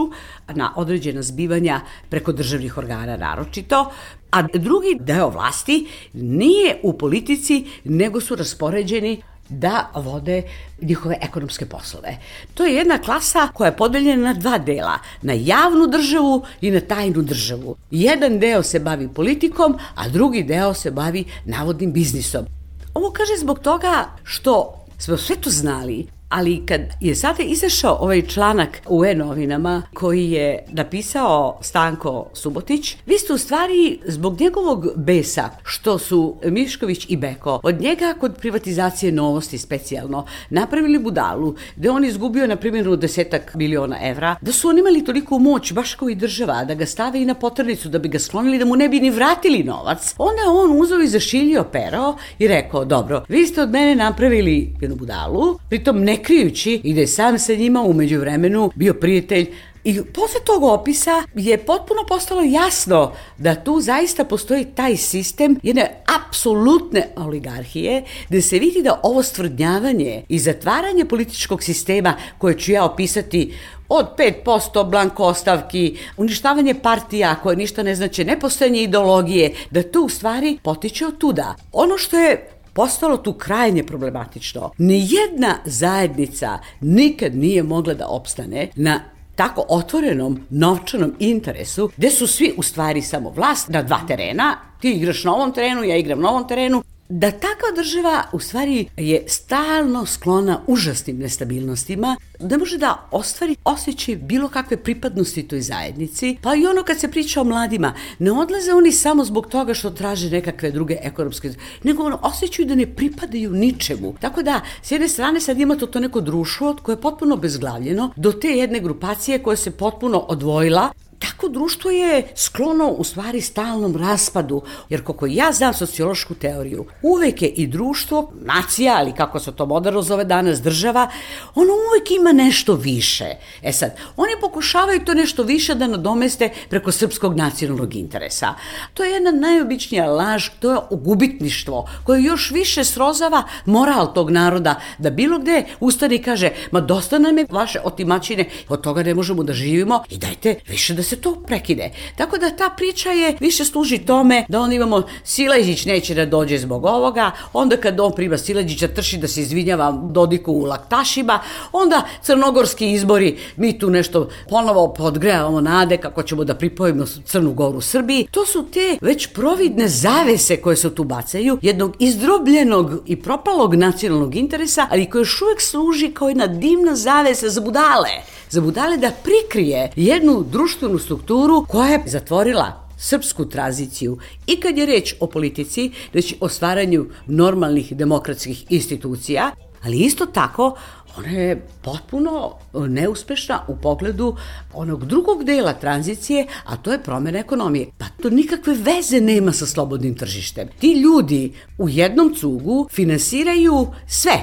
na određena zbivanja preko državnih organa naročito, a drugi deo vlasti nije u politici, nego su raspoređeni da vode njihove ekonomske poslove. To je jedna klasa koja je podeljena na dva dela, na javnu državu i na tajnu državu. Jedan deo se bavi politikom, a drugi deo se bavi navodnim biznisom. Ovo kaže zbog toga što smo sve to znali, ali kad je sada izašao ovaj članak u e-novinama koji je napisao Stanko Subotić, vi ste u stvari zbog njegovog besa što su Mišković i Beko od njega kod privatizacije Novosti specijalno napravili budalu, gde on izgubio na primjer desetak miliona evra, da su oni imali toliko moć baš kao i država, da ga stave i na poternicu da bi ga sklonili, da mu ne bi ni vratili novac. Onda on uzeo i zašiljio pero i rekao, dobro, vi ste od mene napravili jednu budalu, pritom ne krijući i da je sam sa njima u međuvremenu bio prijatelj. I posle tog opisa je potpuno postalo jasno da tu zaista postoji taj sistem jedne apsolutne oligarhije, gde se vidi da ovo stvrdnjavanje i zatvaranje političkog sistema koje ću ja opisati od pet posto blanko ostavki, uništavanje partija koje ništa ne znači, nepostojanje ideologije, da to u stvari potiče od tuda. Ono što je postalo tu krajnje problematično. Nijedna zajednica nikad nije mogla da opstane na tako otvorenom novčanom interesu, gde su svi u stvari samo vlast na dva terena, ti igraš na ovom terenu, ja igram na ovom terenu, da takva država u stvari je stalno sklona užasnim nestabilnostima, da može da ostvari osjećaj bilo kakve pripadnosti toj zajednici, pa i ono kad se priča o mladima, ne odlaze oni samo zbog toga što traže nekakve druge ekonomske, nego ono, osjećaju da ne pripadaju ničemu. Tako da, s jedne strane sad imate to neko društvo koje je potpuno bezglavljeno, do te jedne grupacije koja se potpuno odvojila. Tako društvo je sklono u stvari stalnom raspadu, jer koliko ja znam sociološku teoriju, uvek je i društvo, nacija, ali kako se to moderno zove danas, država, ono uvek ima nešto više. E sad, oni pokušavaju to nešto više da nadomeste preko srpskog nacionalnog interesa. To je jedna najobičnija laž, to je gubitništvo, koje još više srozava moral tog naroda, da bilo gde ustane i kaže, ma dosta nam je vaše otimačine, od toga ne možemo da živimo i dajte više da se to prekide. Tako da ta priča je više služi tome da onda imamo Sileđić neće da dođe zbog ovoga, onda kad on prima Sileđića trši da se izvinjava Dodiku u laktašima, onda crnogorski izbori, mi tu nešto ponovo podgrejavamo nade kako ćemo da pripojimo Crnu Goru Srbiji. To su te već providne zavese koje se tu bacaju, jednog izdrobljenog i propalog nacionalnog interesa, ali koje još uvek služi kao jedna dimna zavesa za budale. Za budale da prikrije jednu društvenu strukturu koja je zatvorila srpsku tranziciju i kad je reč o politici, znači o stvaranju normalnih demokratskih institucija, ali isto tako ona je potpuno neuspešna u pogledu onog drugog dela tranzicije, a to je promjena ekonomije. Pa to nikakve veze nema sa slobodnim tržištem. Ti ljudi u jednom cugu finansiraju sve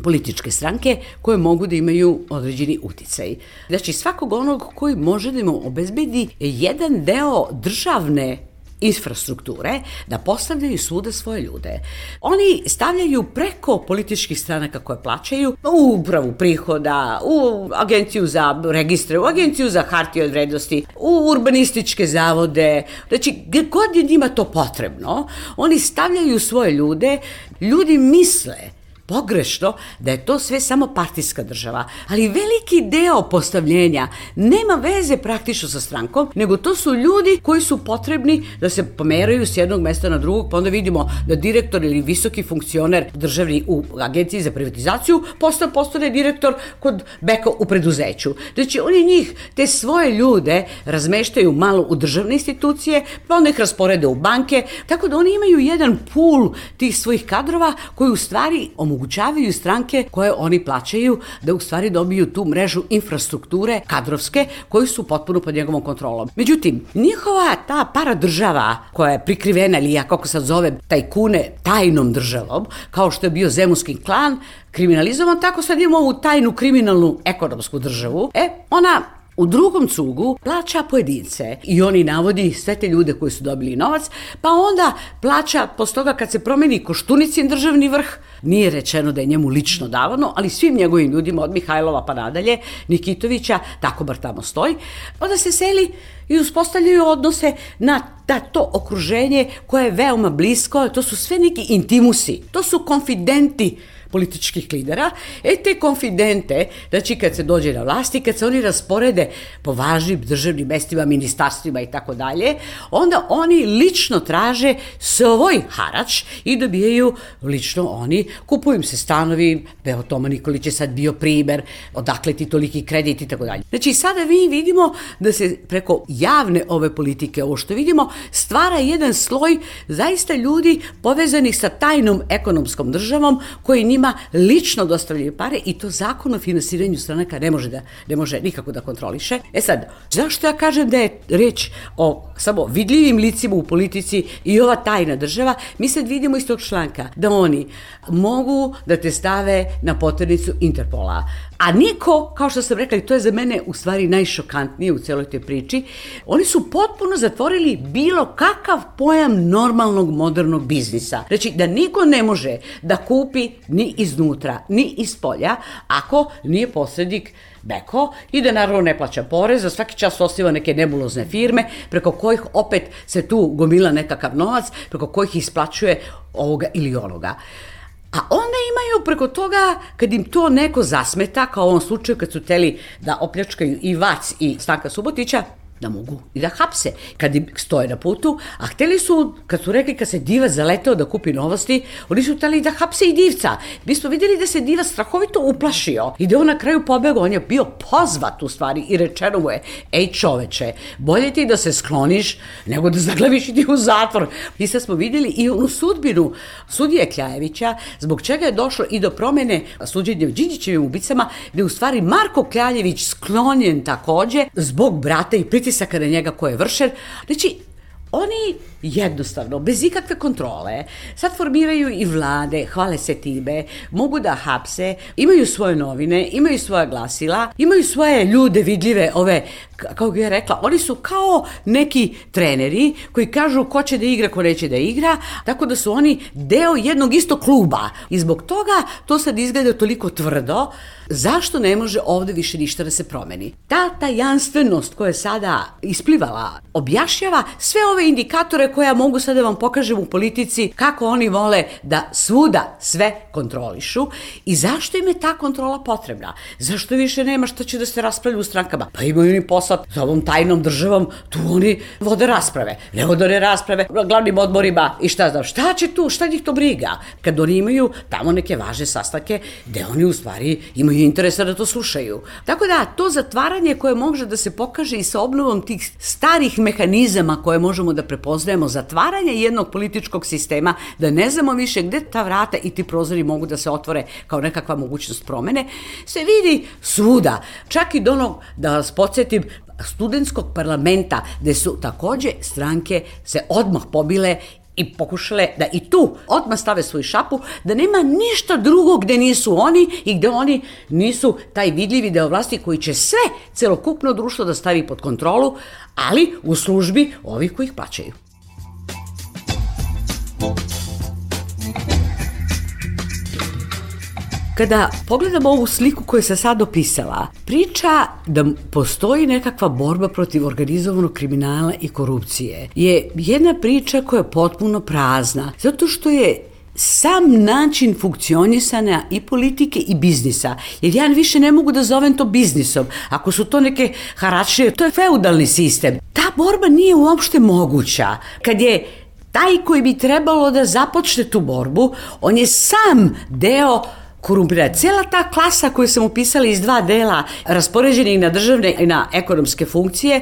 političke stranke koje mogu da imaju određeni uticaj. Znači svakog onog koji može da im obezbedi jedan deo državne infrastrukture da postavljaju svuda svoje ljude. Oni stavljaju preko političkih stranaka koje plaćaju u upravu prihoda, u agenciju za registre, u agenciju za hartije od vrednosti, u urbanističke zavode, znači gdje god je njima to potrebno, oni stavljaju svoje ljude, ljudi misle pogrešno da je to sve samo partijska država, ali veliki deo postavljenja nema veze praktično sa strankom, nego to su ljudi koji su potrebni da se pomeraju s jednog mesta na drugog, pa onda vidimo da direktor ili visoki funkcioner državni u agenciji za privatizaciju postane, postane direktor kod Beka u preduzeću. Znači oni njih, te svoje ljude razmeštaju malo u državne institucije, pa onda ih rasporede u banke, tako da oni imaju jedan pool tih svojih kadrova koji u stvari omogućavaju stranke koje oni plaćaju da u stvari dobiju tu mrežu infrastrukture kadrovske koji su potpuno pod njegovom kontrolom. Međutim, njihova ta paradržava koja je prikrivena ili ja kako sad zove tajkune tajnom državom, kao što je bio zemunski klan, kriminalizovan, tako sad imamo ovu tajnu kriminalnu ekonomsku državu. E, ona u drugom cugu plaća pojedince i oni navodi sve te ljude koji su dobili novac, pa onda plaća posle toga kad se promeni Koštunicin državni vrh, nije rečeno da je njemu lično davano, ali svim njegovim ljudima od Mihajlova pa nadalje, Nikitovića, tako bar tamo stoji, onda se seli i uspostavljaju odnose na da to okruženje koje je veoma blisko, to su sve neki intimusi, to su konfidenti političkih lidera, e te konfidente, znači kad se dođe na vlasti, kad se oni rasporede po važnim državnim mestima, ministarstvima i tako dalje, onda oni lično traže svoj harač i dobijaju lično oni, kupuju im se stanovi, Beo Toma Nikolić je sad bio primer, odakle ti toliki kredit i tako dalje. Znači sada mi vidimo da se preko javne ove politike, ovo što vidimo, stvara jedan sloj zaista ljudi povezanih sa tajnom ekonomskom državom koji njima lično dostavljaju pare i to zakon o finansiranju stranaka ne može da ne može nikako da kontroliše. E sad, zašto ja kažem da je reč o samo vidljivim licima u politici i ova tajna država? Mi sad vidimo iz tog članka da oni mogu da te stave na poternicu Interpola. A niko, kao što sam rekla, i to je za mene u stvari najšokantnije u celoj toj priči, oni su potpuno zatvorili bilo kakav pojam normalnog modernog biznisa. Znači da niko ne može da kupi ni iznutra, ni iz polja, ako nije posrednik Beko i da naravno ne plaća porez, za svaki čas osniva neke nebulozne firme preko kojih opet se tu gomila nekakav novac, preko kojih isplaćuje ovoga ili onoga. A onda imaju preko toga, kad im to neko zasmeta, kao u ovom slučaju kad su teli da opljačkaju i Vac i Stanka Subotića, da mogu i da hapse kad im stoje na putu, a hteli su, kad su rekli kad se Divac zaleteo da kupi Novosti, oni su hteli da hapse i Divca. Mi smo vidjeli da se Divac strahovito uplašio i da on na kraju pobegao, on je bio pozvat u stvari i rečeno mu je, ej čoveče, bolje ti da se skloniš nego da zaglaviš i ti u zatvor. I sad smo vidjeli i onu sudbinu sudije Kljajevića, zbog čega je došlo i do promene suđenja Đinđićevim ubicama, gde je u stvari Marko Kljaljević sklonjen takođe zbog brata i pritisaka na njega ko je vršen. Znači, oni jednostavno, bez ikakve kontrole, sad formiraju i vlade, hvale se time, mogu da hapse, imaju svoje novine, imaju svoja glasila, imaju svoje ljude vidljive, ove, kao bih ja rekla, oni su kao neki treneri koji kažu ko će da igra, ko neće da igra, tako da su oni deo jednog istog kluba. I zbog toga to sad izgleda toliko tvrdo, zašto ne može ovde više ništa da se promeni? Ta tajanstvenost koja je sada isplivala objašnjava sve ove indikatore koje ja mogu sada da vam pokažem u politici, kako oni vole da svuda sve kontrolišu i zašto im je ta kontrola potrebna? Zašto više nema što će da se raspravlja u strankama? Pa imaju oni posao za ovom tajnom državom, tu oni vode rasprave, ne vode one rasprave na glavnim odborima i šta znam, šta će tu, šta njih to briga? Kad oni imaju tamo neke važne sastanke gde oni u stvari imaju interesa da to slušaju. Tako da, to zatvaranje koje može da se pokaže i sa obnovom tih starih mehanizama koje možemo da prepoznajemo, zatvaranje jednog političkog sistema, da ne znamo više gde ta vrata i ti prozori mogu da se otvore kao nekakva mogućnost promene, se vidi svuda. Čak i do onog, da vas podsjetim, studentskog parlamenta, gde su takođe stranke se odmah pobile i pokušale da i tu odmah stave svoju šapu, da nema ništa drugo gde nisu oni i gde oni nisu taj vidljivi deo vlasti koji će sve celokupno društvo da stavi pod kontrolu, ali u službi ovih koji ih plaćaju. Kada pogledamo ovu sliku koju sam sad opisala, priča da postoji nekakva borba protiv organizovanog kriminala i korupcije je jedna priča koja je potpuno prazna, zato što je sam način funkcionisanja i politike i biznisa, jer ja više ne mogu da zovem to biznisom, ako su to neke haračije, to je feudalni sistem. Ta borba nije uopšte moguća. Kad je taj koji bi trebalo da započne tu borbu, on je sam deo korumpirana. Cijela ta klasa koju sam upisala iz dva dela, raspoređeni na državne i na ekonomske funkcije,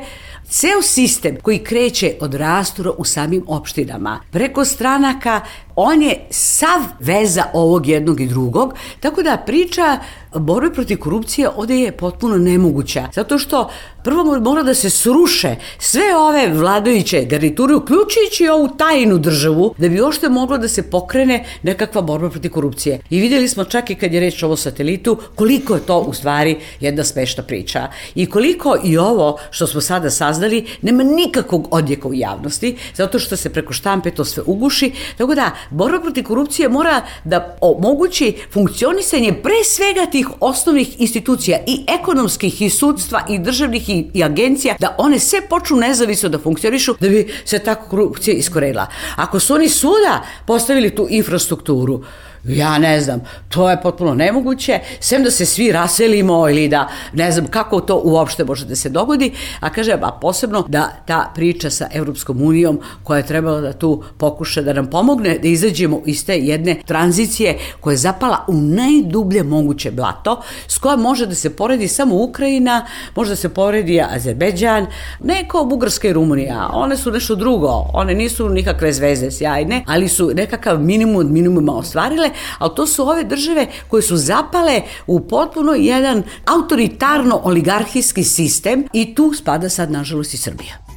ceo sistem koji kreće od rastura u samim opštinama, preko stranaka, on je sav veza ovog jednog i drugog, tako da priča borbe protiv korupcije ovde je potpuno nemoguća, zato što prvo mora da se sruše sve ove vladajuće garniture, uključujući ovu tajnu državu, da bi ošte moglo da se pokrene nekakva borba protiv korupcije. I vidjeli smo čak i kad je reč o ovo satelitu, koliko je to u stvari jedna smešna priča. I koliko i ovo što smo sada saznali nema nikakvog odjeka u javnosti, zato što se preko štampe to sve uguši, tako da borba protiv korupcije mora da omogući funkcionisanje pre svega tih osnovnih institucija i ekonomskih i sudstva i državnih i, i agencija, da one sve počnu nezavisno da funkcionišu da bi se ta korupcija iskorenila. Ako su oni svuda postavili tu infrastrukturu, ja ne znam, to je potpuno nemoguće, sem da se svi raselimo ili da ne znam kako to uopšte može da se dogodi, a kažem, a posebno da ta priča sa Evropskom unijom koja je trebala da tu pokuša da nam pomogne da izađemo iz te jedne tranzicije koja je zapala u najdublje moguće blato, s kojom može da se poredi samo Ukrajina, može da se poredi Azerbejdžan, ne kao Bugarska i Rumunija, one su nešto drugo, one nisu nikakve zvezde sjajne, ali su nekakav minimum od minimuma ostvarile, ali to su ove države koje su zapale u potpuno jedan autoritarno-oligarhijski sistem i tu spada sad nažalost i Srbija.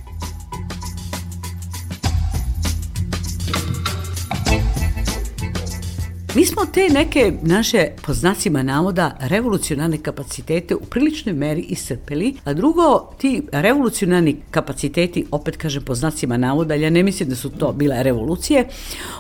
Mi smo te neke naše, po znacima navoda, revolucionarne kapacitete u priličnoj meri iscrpeli, a drugo, ti revolucionarni kapaciteti, opet kažem po znacima navoda, ja ne mislim da su to bile revolucije,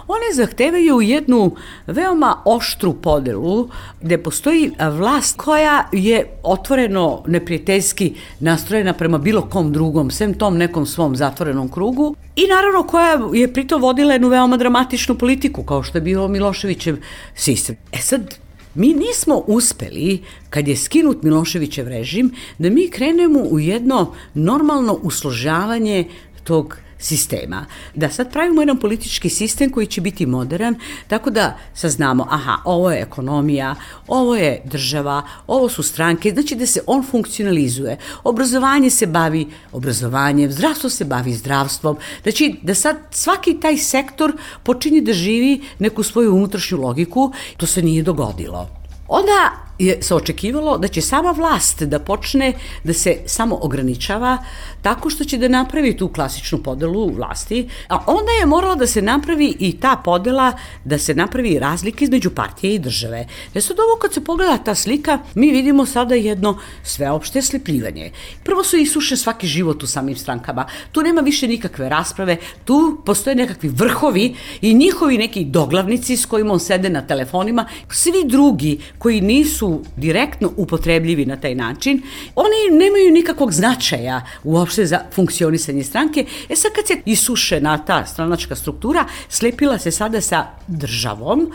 one zahtevaju jednu veoma oštru podelu gde postoji vlast koja je otvoreno neprijateljski nastrojena prema bilo kom drugom, sem tom nekom svom zatvorenom krugu, i naravno koja je pritom vodila jednu veoma dramatičnu politiku, kao što je bilo Miloševićev sistem. E sad, mi nismo uspeli, kad je skinut Miloševićev režim, da mi krenemo u jedno normalno usložavanje tog sistema. Da sad pravimo jedan politički sistem koji će biti modern, tako da saznamo, aha, ovo je ekonomija, ovo je država, ovo su stranke, znači da se on funkcionalizuje. Obrazovanje se bavi obrazovanjem, zdravstvo se bavi zdravstvom, znači da sad svaki taj sektor počinje da živi neku svoju unutrašnju logiku, to se nije dogodilo. Onda je se očekivalo da će sama vlast da počne da se samo ograničava tako što će da napravi tu klasičnu podelu vlasti, a onda je moralo da se napravi i ta podela, da se napravi razlika između partije i države. E sad ovo kad se pogleda ta slika, mi vidimo sada jedno sveopšte slepljivanje. Prvo su isuše svaki život u samim strankama, tu nema više nikakve rasprave, tu postoje nekakvi vrhovi i njihovi neki doglavnici s kojima on sede na telefonima, svi drugi koji nisu direktno upotrebljivi na taj način, oni nemaju nikakvog značaja uopšte za funkcionisanje stranke. E sad kad se isušena ta stranačka struktura, slepila se sada sa državom,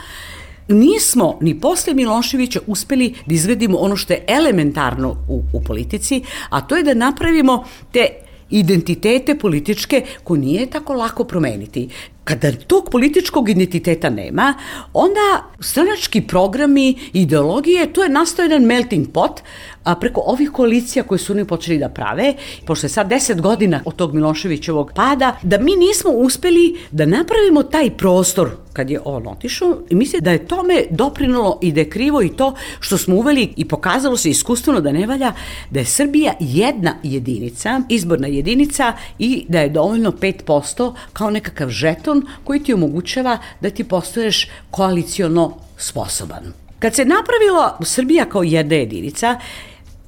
nismo ni posle Miloševića uspeli da izgledimo ono što je elementarno u, u politici, a to je da napravimo te identitete političke koje nije tako lako promeniti. Kada tog političkog identiteta nema, onda stranački programi, ideologije, to je nastao jedan melting pot, a preko ovih koalicija koje su oni počeli da prave, pošto je sad deset godina od tog Miloševićevog pada, da mi nismo uspeli da napravimo taj prostor kad je on otišao i mislim da je tome doprinalo i da je krivo i to što smo uveli i pokazalo se iskustveno da ne valja, da je Srbija jedna jedinica, izborna jedinica i da je dovoljno pet posto kao nekakav žeton koji ti omogućava da ti postoješ koaliciono sposoban. Kad se napravila Srbija kao jedna jedinica,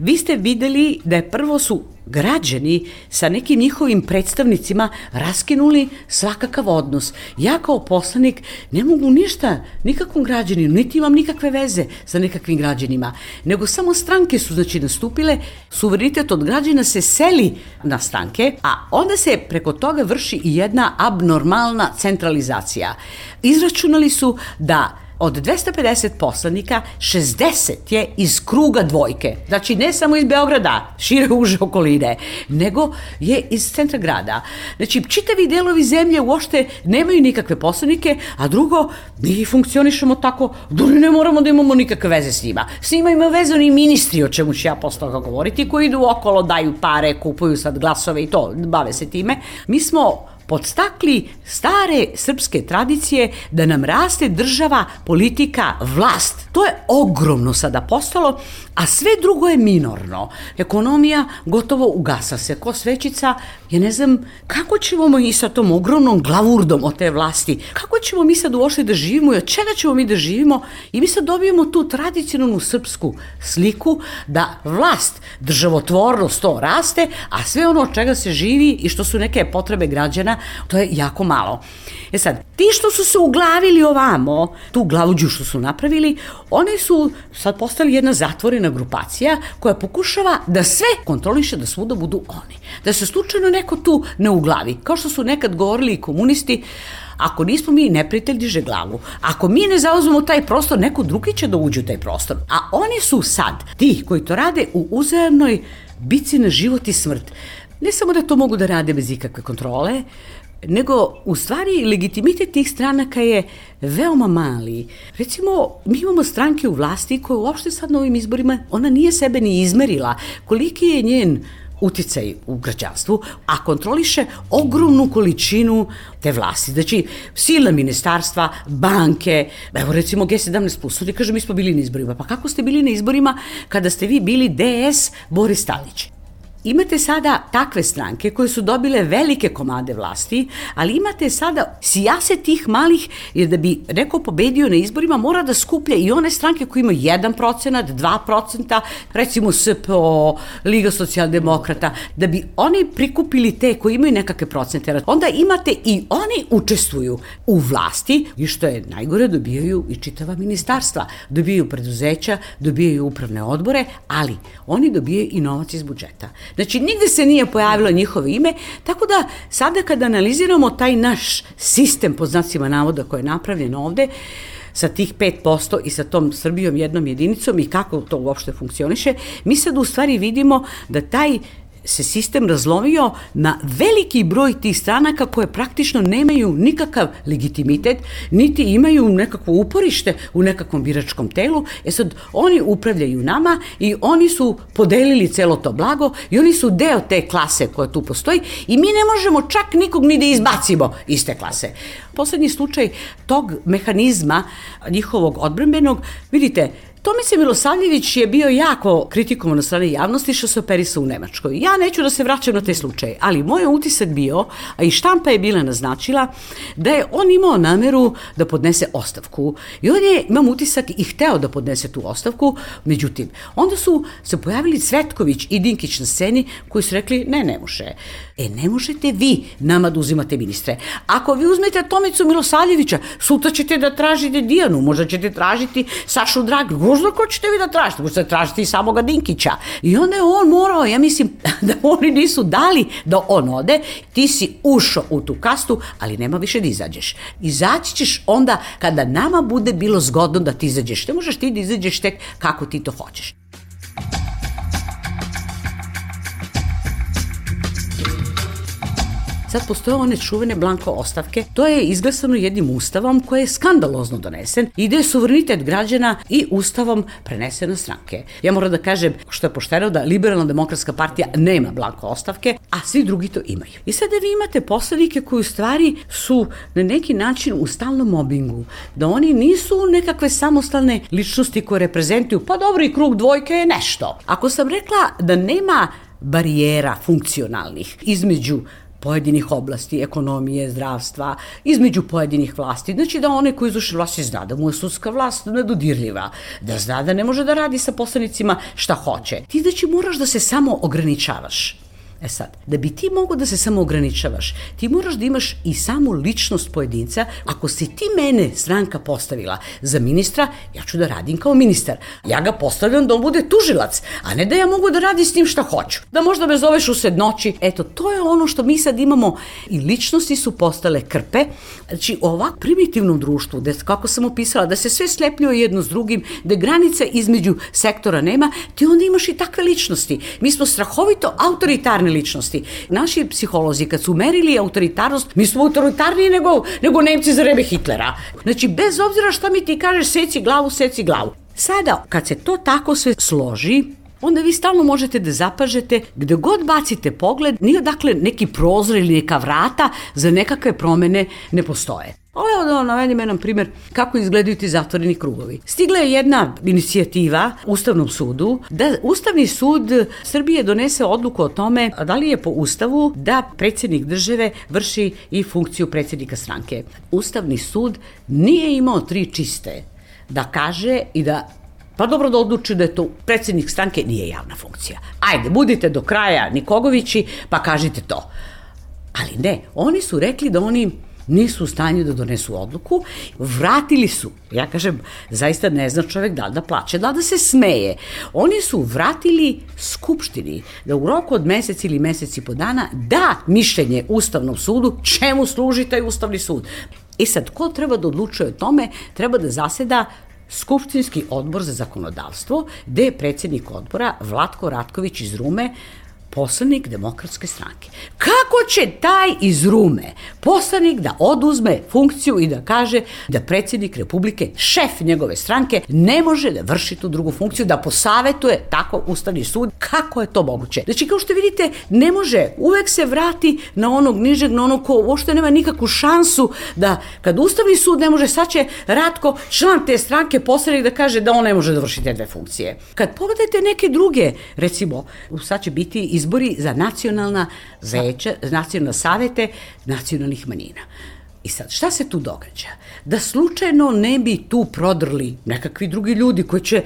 vi ste videli da je prvo su građani sa nekim njihovim predstavnicima raskinuli svakakav odnos. Ja kao poslanik ne mogu ništa nikakvom građaninu, niti imam nikakve veze sa nekakvim građanima, nego samo stranke su znači nastupile, suverenitet od građana se seli na stranke, a onda se preko toga vrši i jedna abnormalna centralizacija. Izračunali su da od dvesta pedeset poslanika, šezdeset je iz kruga dvojke. Znači, ne samo iz Beograda, šire uže okoline, nego je iz centra grada. Znači, čitavi delovi zemlje uopšte nemaju nikakve poslanike, a drugo, mi funkcionišemo tako da ne moramo da imamo nikakve veze s njima. S njima ima veze oni ministri, o čemu ću ja posle toga govoriti, koji idu okolo, daju pare, kupuju sad glasove i to, bave se time. Mi smo podstakli stare srpske tradicije da nam raste država, politika, vlast. To je ogromno sada postalo, a sve drugo je minorno. Ekonomija gotovo ugasa se ko svećica. Ja ne znam kako ćemo mi sa tom ogromnom glavurdom od te vlasti, kako ćemo mi sad uopšte da živimo i od čega ćemo mi da živimo, i mi sad dobijemo tu tradicionalnu srpsku sliku da vlast, državotvornost to raste, a sve ono od čega se živi i što su neke potrebe građana, to je jako malo. E sad, ti što su se uglavili ovamo, tu glavuđu što su napravili, oni su sad postali jedna zatvorena grupacija koja pokušava da sve kontroliše, da svuda budu oni. Da se slučajno neko tu ne uglavi. Kao što su nekad govorili i komunisti, ako nismo mi, neprijatelj diže glavu. Ako mi ne zauzmemo taj prostor, neko drugi će da uđe u taj prostor. A oni su sad ti koji to rade u uzajamnoj bici na život i smrt. Ne samo da to mogu da rade bez ikakve kontrole, nego u stvari legitimitet tih stranaka je veoma mali. Recimo, mi imamo stranke u vlasti koje uopšte sad na ovim izborima, ona nije sebe ni izmerila koliki je njen uticaj u građanstvu, a kontroliše ogromnu količinu te vlasti. Znači, silna ministarstva, banke, evo recimo G sedamnaest plus, oni kažu mi smo bili na izborima. Pa kako ste bili na izborima kada ste vi bili D S Boris Tadić? Imate sada takve stranke koje su dobile velike komade vlasti, ali imate sada sijaset tih malih, jer da bi neko pobedio na izborima mora da skuplja i one stranke koje imaju jedan procenat, dva procenta, recimo S P O, Liga socijaldemokrata, da bi oni prikupili te koji imaju nekakve procente. Onda imate i oni učestvuju u vlasti i što je najgore, dobijaju i čitava ministarstva, dobijaju preduzeća, dobijaju upravne odbore, ali oni dobijaju i novac iz budžeta. Znači, nigde se nije pojavilo njihovo ime, tako da sada kada analiziramo taj naš sistem, pod znacima navoda, koji je napravljen ovde, sa tih pet posto i sa tom Srbijom jednom jedinicom i kako to uopšte funkcioniše, mi sad u stvari vidimo da taj se sistem razlomio na veliki broj tih stranaka koje praktično nemaju nikakav legitimitet, niti imaju nekakvo uporište u nekakvom biračkom telu. E sad, oni upravljaju nama i oni su podelili celo to blago i oni su deo te klase koja tu postoji i mi ne možemo čak nikog ni da izbacimo iz te klase. Poslednji slučaj tog mehanizma njihovog odbrambenog, vidite, Tomica Milosavljević je bio jako kritikovan na strane javnosti što se operisao u Nemačkoj. Ja neću da se vraćam na te slučaje, ali moj utisak bio, a i štampa je bila naznačila, da je on imao nameru da podnese ostavku. I on je, imam utisak, i hteo da podnese tu ostavku, međutim, onda su se pojavili Cvetković i Dinkić na sceni koji su rekli, ne, ne može. E, ne možete vi nama da uzimate ministre. Ako vi uzmete Tomicu Milosavljevića, sutra ćete da tražite Dijanu, možda ćete tražiti Sašu Dragu, možda ko ćete vi da tražite, možda tražite i samoga Dinkića. I onda je on morao, ja mislim da oni nisu dali da on ode, ti si ušao u tu kastu, ali nema više da izađeš. Izaći ćeš onda kada nama bude bilo zgodno da ti izađeš. Ne možeš ti da izađeš tek kako ti to hoćeš. Sad postoje one čuvene blanko ostavke. To je izglasano jednim ustavom koji je skandalozno donesen i gde je suverenitet građana i ustavom prenesen na stranke. Ja moram da kažem, što je pošteno, da Liberalna demokratska partija nema blanko ostavke, a svi drugi to imaju. I sada vi imate poslanike koji u stvari su na neki način u stalnom mobingu, da oni nisu nekakve samostalne ličnosti koje reprezentuju, pa dobro, i krug dvojke je nešto. Ako sam rekla da nema barijera funkcionalnih između pojedinih oblasti, ekonomije, zdravstva, između pojedinih vlasti. Znači da one koji izvrše vlasti zna da mu je sudska vlast nedodirljiva, da zna da ne može da radi sa poslanicima šta hoće. Ti znači moraš da se samo ograničavaš. E sad, da bi ti mogao da se samo ograničavaš, ti moraš da imaš i samu ličnost pojedinca. Ako si ti mene stranka postavila za ministra, ja ću da radim kao ministar. Ja ga postavljam da on bude tužilac, a ne da ja mogu da radim s njim šta hoću. Da možda me zoveš u sred noći. Eto, to je ono što mi sad imamo i ličnosti su postale krpe. Znači, u ovak primitivnom društvu, gde, kako sam opisala, da se sve slepljuje jedno s drugim, da granice između sektora nema, ti onda imaš i takve ličnosti. Mi smo strahovito autoritarni ličnosti. Naši psiholozi kad su merili autoritarnost, mi smo autoritarniji nego, nego Nemci za vreme Hitlera. Znači, bez obzira šta mi ti kažeš, seci glavu, seci glavu. Sada, kad se to tako sve složi, onda vi stalno možete da zapažete, gde god bacite pogled, nije odakle neki prozor ili neka vrata za nekakve promene ne postoje. Ovo je da navedim jedan primjer kako izgledaju ti zatvoreni krugovi. Stigla je jedna inicijativa Ustavnom sudu da Ustavni sud Srbije donese odluku o tome da li je po Ustavu da predsjednik države vrši i funkciju predsjednika stranke. Ustavni sud nije imao tri čiste da kaže i da pa dobro da odluči da je to predsjednik stranke nije javna funkcija. Ajde, budite do kraja Nikogovići pa kažite to. Ali ne, oni su rekli da oni nisu u stanju da donesu odluku, vratili su, ja kažem, zaista ne zna čovjek da li da plače, da li da se smeje. Oni su vratili Skupštini da u roku od mesec ili mesec i po dana da mišljenje Ustavnom sudu čemu služi taj Ustavni sud. I sad, ko treba da odlučuje o tome, treba da zaseda Skupštinski odbor za zakonodavstvo, gde je predsjednik odbora Vlatko Ratković iz Rume, poslanik Demokratske stranke. Kako će taj iz Rume poslanik da oduzme funkciju i da kaže da predsjednik Republike, šef njegove stranke, ne može da vrši tu drugu funkciju, da posavetuje tako Ustavni sud? Kako je to moguće? Znači, kao što vidite, ne može, uvek se vrati na onog nižeg, na onog ko uopšte nema nikakvu šansu da, kad Ustavni sud ne može, sad će Ratko, član te stranke, poslanik da kaže da on ne može da vrši te dve funkcije. Kad pogledate neke druge, recimo, sad će biti izbori za nacionalna veća, nacionalne savete nacionalnih manjina. I sad, šta se tu događa? Da slučajno ne bi tu prodrli nekakvi drugi ljudi koji će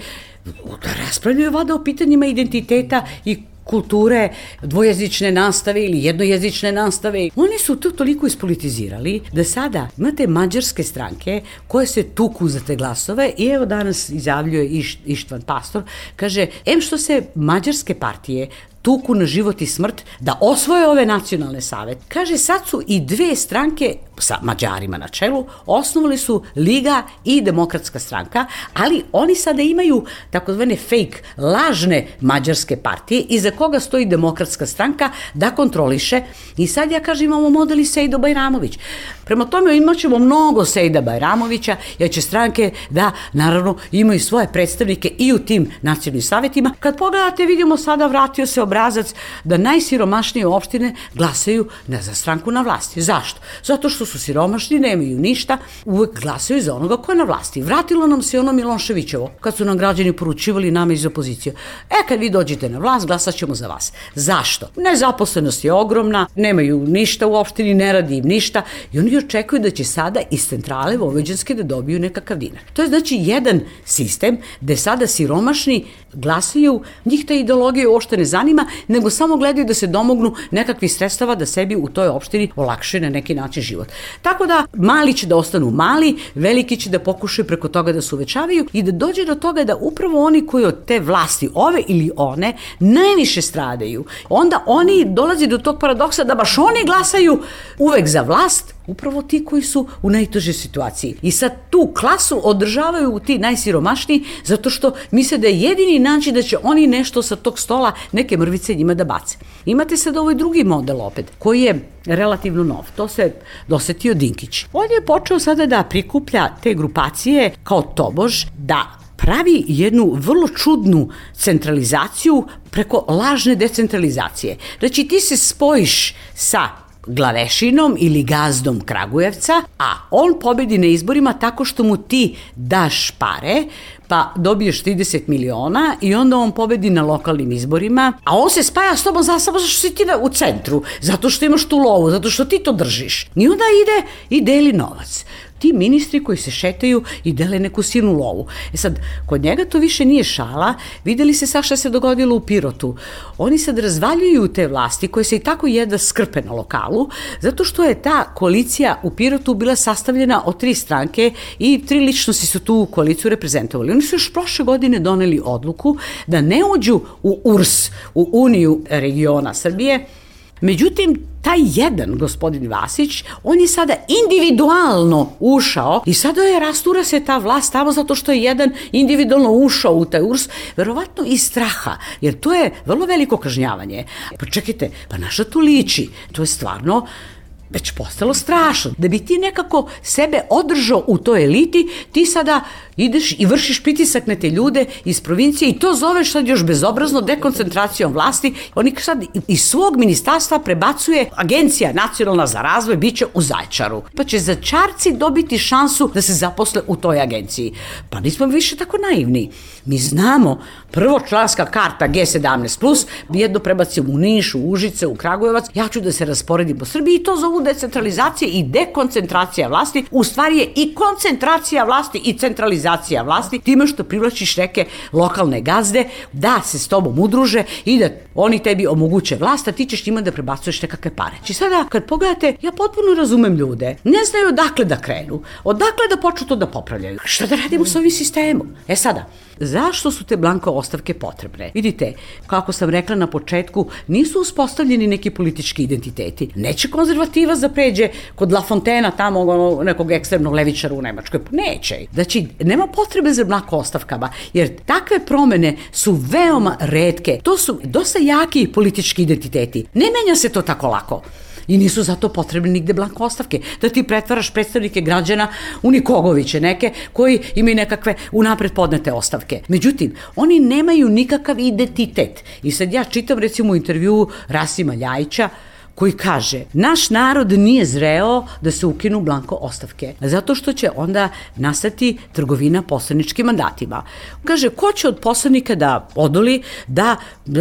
da raspravljaju vada o pitanjima identiteta i kulture, dvojezične nastave ili jednojezične nastave. Oni su to toliko ispolitizirali da sada imate mađarske stranke koje se tuku za te glasove i evo danas izjavljuje Iš, Ištvan Pastor, kaže, em što se mađarske partije tuku na život i smrt da osvoje ove nacionalne savete. Kaže, sad su i dve stranke sa Mađarima na čelu, osnovali su Liga i Demokratska stranka, ali oni sada imaju takozvane fake, lažne mađarske partije iza koga stoji Demokratska stranka da kontroliše. I sad ja kažem, imamo model i Sejdo Bajramović. Prema tome imat ćemo mnogo Sejda Bajramovića, jer će stranke da, naravno, imaju svoje predstavnike i u tim nacionalnim savetima. Kad pogledate, vidimo sada vratio se obrazac da najsiromašnije opštine glasaju za stranku na vlasti. Zašto? Zato što su siromašni, nemaju ništa, uvek glasaju za onoga ko je na vlasti. Vratilo nam se ono Miloševićevo, kad su nam građani poručivali nama iz opozicije. E, kad vi dođete na vlast, glasat ćemo za vas. Zašto? Nezaposlenost je ogromna, nemaju ništa u opštini, ne radi im ništa i oni očekuju da će sada iz centrale Vojvođanske da dobiju nekakav dinar. To je znači jedan sistem gde sada siromašni glasaju, njih ta ideologija uopšte ne zanima, nego samo gledaju da se domognu nekakvih sredstava da sebi u toj opštini olakšaju na neki način život. Tako da mali će da ostanu mali, veliki će da pokušaju preko toga da se uvećavaju i da dođe do toga da upravo oni koji od te vlasti, ove ili one, najviše stradaju. Onda oni dolazi do tog paradoksa da baš oni glasaju uvek za vlast, upravo ti koji su u najtežoj situaciji. I sad tu klasu održavaju ti najsiromašniji zato što misle da je jedini način da će oni nešto sa tog stola, neke mrvice njima da bace. Imate sad ovaj drugi model opet, koji je relativno nov. To se dosetio Dinkić. On je počeo sada da prikuplja te grupacije kao tobož da pravi jednu vrlo čudnu centralizaciju preko lažne decentralizacije. Znači ti se spojiš sa glavešinom ili gazdom Kragujevca, a on pobedi na izborima tako što mu ti daš pare, pa dobiješ trideset miliona i onda on pobedi na lokalnim izborima, a on se spaja s tobom za samo zato što si ti u centru, zato što imaš tu lovu, zato što ti to držiš. I onda ide i deli novac. Ti ministri koji se šetaju i dele neku silnu lovu. E sad, kod njega to više nije šala, videli se sad šta se dogodilo u Pirotu. Oni sad razvaljuju te vlasti koje se i tako jedva skrpe na lokalu, zato što je ta koalicija u Pirotu bila sastavljena od tri stranke i tri ličnosti su tu koaliciju reprezentovali. Oni su još prošle godine doneli odluku da ne uđu u U R S, u Uniju regiona Srbije. Međutim, taj jedan gospodin Vasić, on je sada individualno ušao i sada je rastura se ta vlast tamo zato što je jedan individualno ušao u taj U R S, verovatno iz straha, jer to je vrlo veliko kažnjavanje. Pa čekajte, pa naša to liči, to je stvarno već postalo strašno. Da bi ti nekako sebe održao u toj eliti, ti sada ideš i vršiš pritisak na te ljude iz provincije i to zoveš sad još bezobrazno dekoncentracijom vlasti. Oni sad iz svog ministarstva prebacuje Agencija nacionalna za razvoj, bit će u Zaječaru. Pa će Zaječarci dobiti šansu da se zaposle u toj agenciji. Pa nismo više tako naivni. Mi znamo, prvočlanska karta G sedamnaest plus, jedno prebacimo u Niš, u Užice, u Kragujevac, ja ću da se rasporedim po Srbiji i to zovu decentralizacija i dekoncentracija vlasti. U stvari je i koncentracija vlasti i centralizacija vlasti time što privlačiš neke lokalne gazde da se s tobom udruže i da oni tebi omoguće vlast, a ti ćeš njima da prebacuješ nekakve pare. Či sada kad pogledate, ja potpuno razumem ljude, ne znaju odakle da krenu, odakle da počnu to da popravljaju. Šta da radimo s ovim sistemom? E sada, zašto su te blanko ostavke potrebne? Vidite, kako sam rekla na početku, nisu uspostavljeni neki politički identiteti. Neće konzervativac da pređe kod La Fontena, tamo nekog ekstremnog levičara u Nemačkoj. Neće. Znači, nema potrebe za blanko ostavkama, jer takve promene su veoma retke. To su dosta jaki politički identiteti. Ne menja se to tako lako. I nisu zato potrebne nigde blanko ostavke. Da ti pretvaraš predstavnike građana u Nikogoviće neke koji imaju nekakve unapred podnete ostavke. Međutim, oni nemaju nikakav identitet. I sad ja čitam recimo u intervjuu Rasima Ljajića koji kaže, naš narod nije zreo da se ukinu blanko ostavke, zato što će onda nastati trgovina poslaničkim mandatima. Kaže, ko će od poslanika da odoli, da,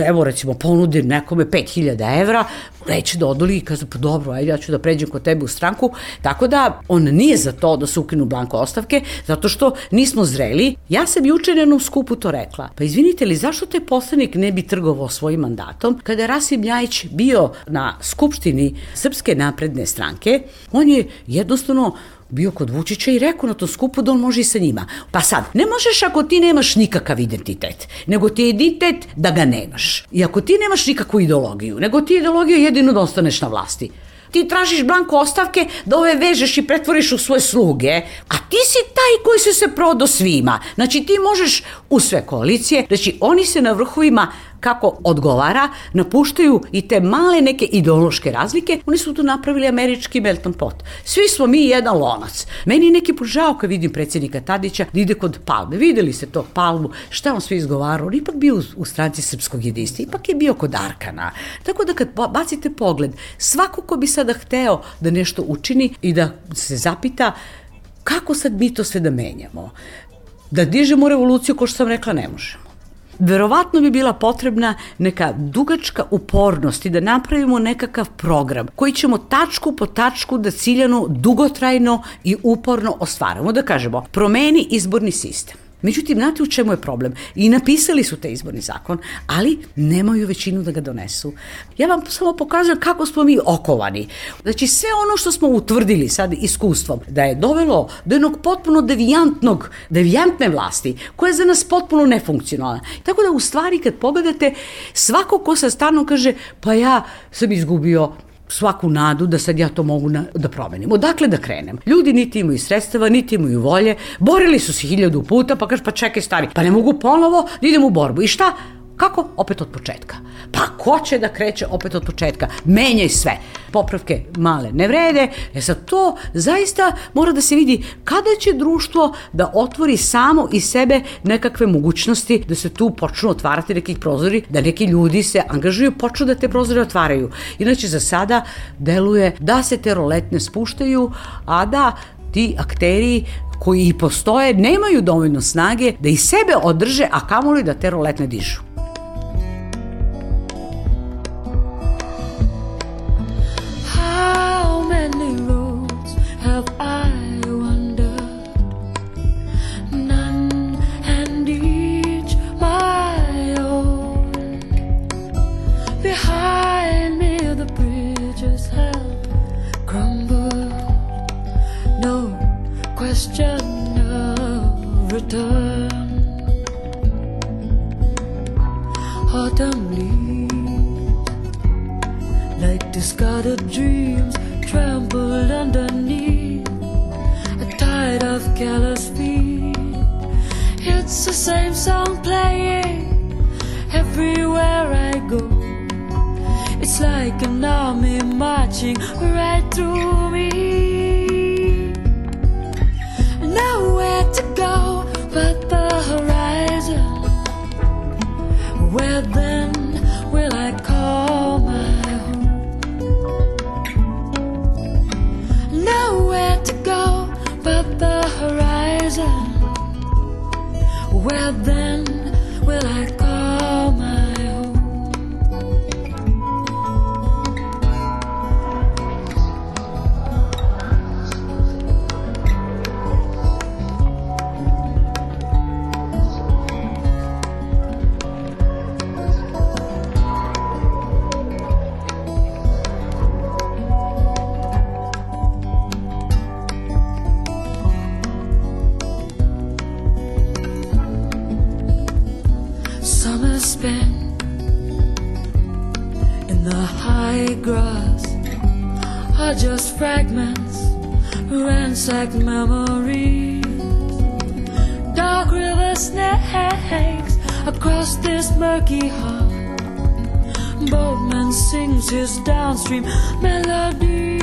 evo recimo, ponudi nekome pet hiljada evra, neće da odoli i kaže, pa dobro, ajde, ja ću da pređem kod tebe u stranku, tako da on nije za to da se ukinu blanko ostavke, zato što nismo zreli. Ja sam juče na jednom skupu to rekla, pa izvinite li, zašto te poslanik ne bi trgovao svojim mandatom? Kada je Rasim Ljajić bio na Skupštini Srpske napredne stranke, on je jednostavno bio kod Vučića i rekao na tom skupu da on može i sa njima. Pa sad, ne možeš ako ti nemaš nikakav identitet, nego ti je identitet da ga nemaš. I ako ti nemaš nikakvu ideologiju, nego ti je ideologija jedino da ostaneš na vlasti. Ti tražiš blanko ostavke da ove vežeš i pretvoriš u svoje sluge, a ti si taj koji se se prodao svima. Znači ti možeš u sve koalicije, znači oni se na vrhovima kako odgovara, napuštaju i te male neke ideološke razlike, oni su tu napravili američki melting pot. Svi smo mi jedan lonac. Meni je neki put žao kad vidim predsjednika Tadića da ide kod Palme. Videli ste tog Palmu, šta on sve izgovarao, on ipak bio u, u stranci Srpskog jedinstva, ipak je bio kod Arkana. Tako da kad bacite pogled, svako ko bi sada hteo da nešto učini i da se zapita kako sad mi to sve da menjamo, da dižemo revoluciju, ko što sam rekla, ne možemo. Verovatno bi bila potrebna neka dugačka upornost i da napravimo nekakav program koji ćemo tačku po tačku da ciljano, dugotrajno i uporno ostvarimo. Da kažemo, promeni izborni sistem. Međutim, znate u čemu je problem? I napisali su taj izborni zakon, ali nemaju većinu da ga donesu. Ja vam samo pokazujem kako smo mi okovani. Znači, sve ono što smo utvrdili sad iskustvom, da je dovelo do jednog potpuno devijantnog, devijantne vlasti, koja je za nas potpuno nefunkcionalna. Tako da, u stvari, kad pogledate, svako ko sad stvarno kaže, pa ja sam izgubio svaku nadu da sad ja to mogu na, da promenim. Odakle da krenem? Ljudi niti imaju sredstava, niti imaju volje, borili su se hiljadu puta, pa kaže, pa čekaj stari, pa ne mogu ponovo da idem u borbu. I šta? Kako? Opet od početka. Pa ko će da kreće opet od početka? Menjaj sve. Popravke male ne vrede. E sad to zaista mora da se vidi kada će društvo da otvori samo iz sebe nekakve mogućnosti da se tu počnu otvarati nekih prozori, da neki ljudi se angažuju, počnu da te prozore otvaraju. Inače za sada deluje da se te roletne spuštaju, a da ti akteri koji i postoje nemaju dovoljno snage da i sebe održe, a kamoli da te roletne dižu. Have I wandered, none and each my own. Behind me the bridges have crumbled, no question of return. Autumn leaves, like discarded dreams, trampled underneath a tide of careless feet. It's the same song playing everywhere I go. It's like an army marching right through me. Nowhere to go but the horizon. Where then will I call my nowhere to go but the horizon. Where then will I call my home? Summer spent in the high grass are just fragments, ransacked memories. Dark river snakes across this murky hall. Boatman sings his downstream melody.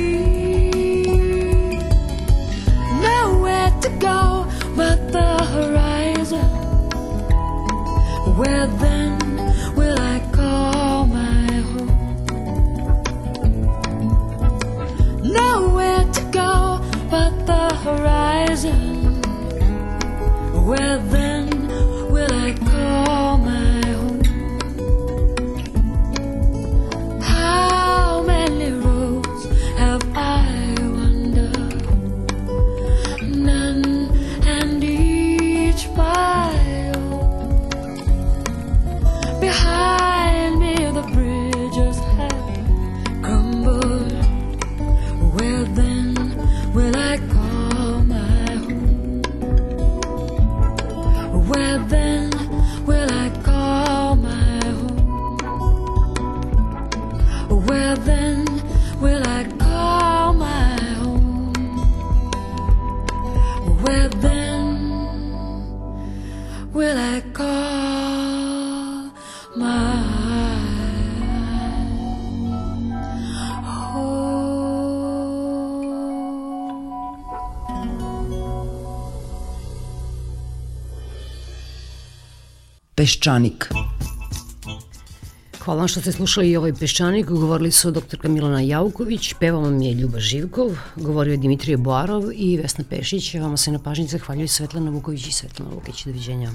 Nowhere to go but the horizon. Where then will I call my home? Nowhere to go but the horizon. Where then will I call my home? How many roads have I wandered? None and each my behind me the bridges have crumbled. Where then will I call my home? Where then will I call my home? Where then will I call my home? Where then will I call my Peščanik. Hvala vam što ste slušali i ovaj Peščanik. Govorili su doktorka Milana Jauković, pevao vam je Ljuba Živkov, govorio je Dimitrije Boarov i Vesna Pešić. Vama se na pažnji zahvaljuju Svetlana Vuković i Svetlana Lukić. Doviđenja.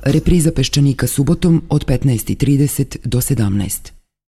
Repriza Peščanika subotom od petnaest i trideset do sedamnaest.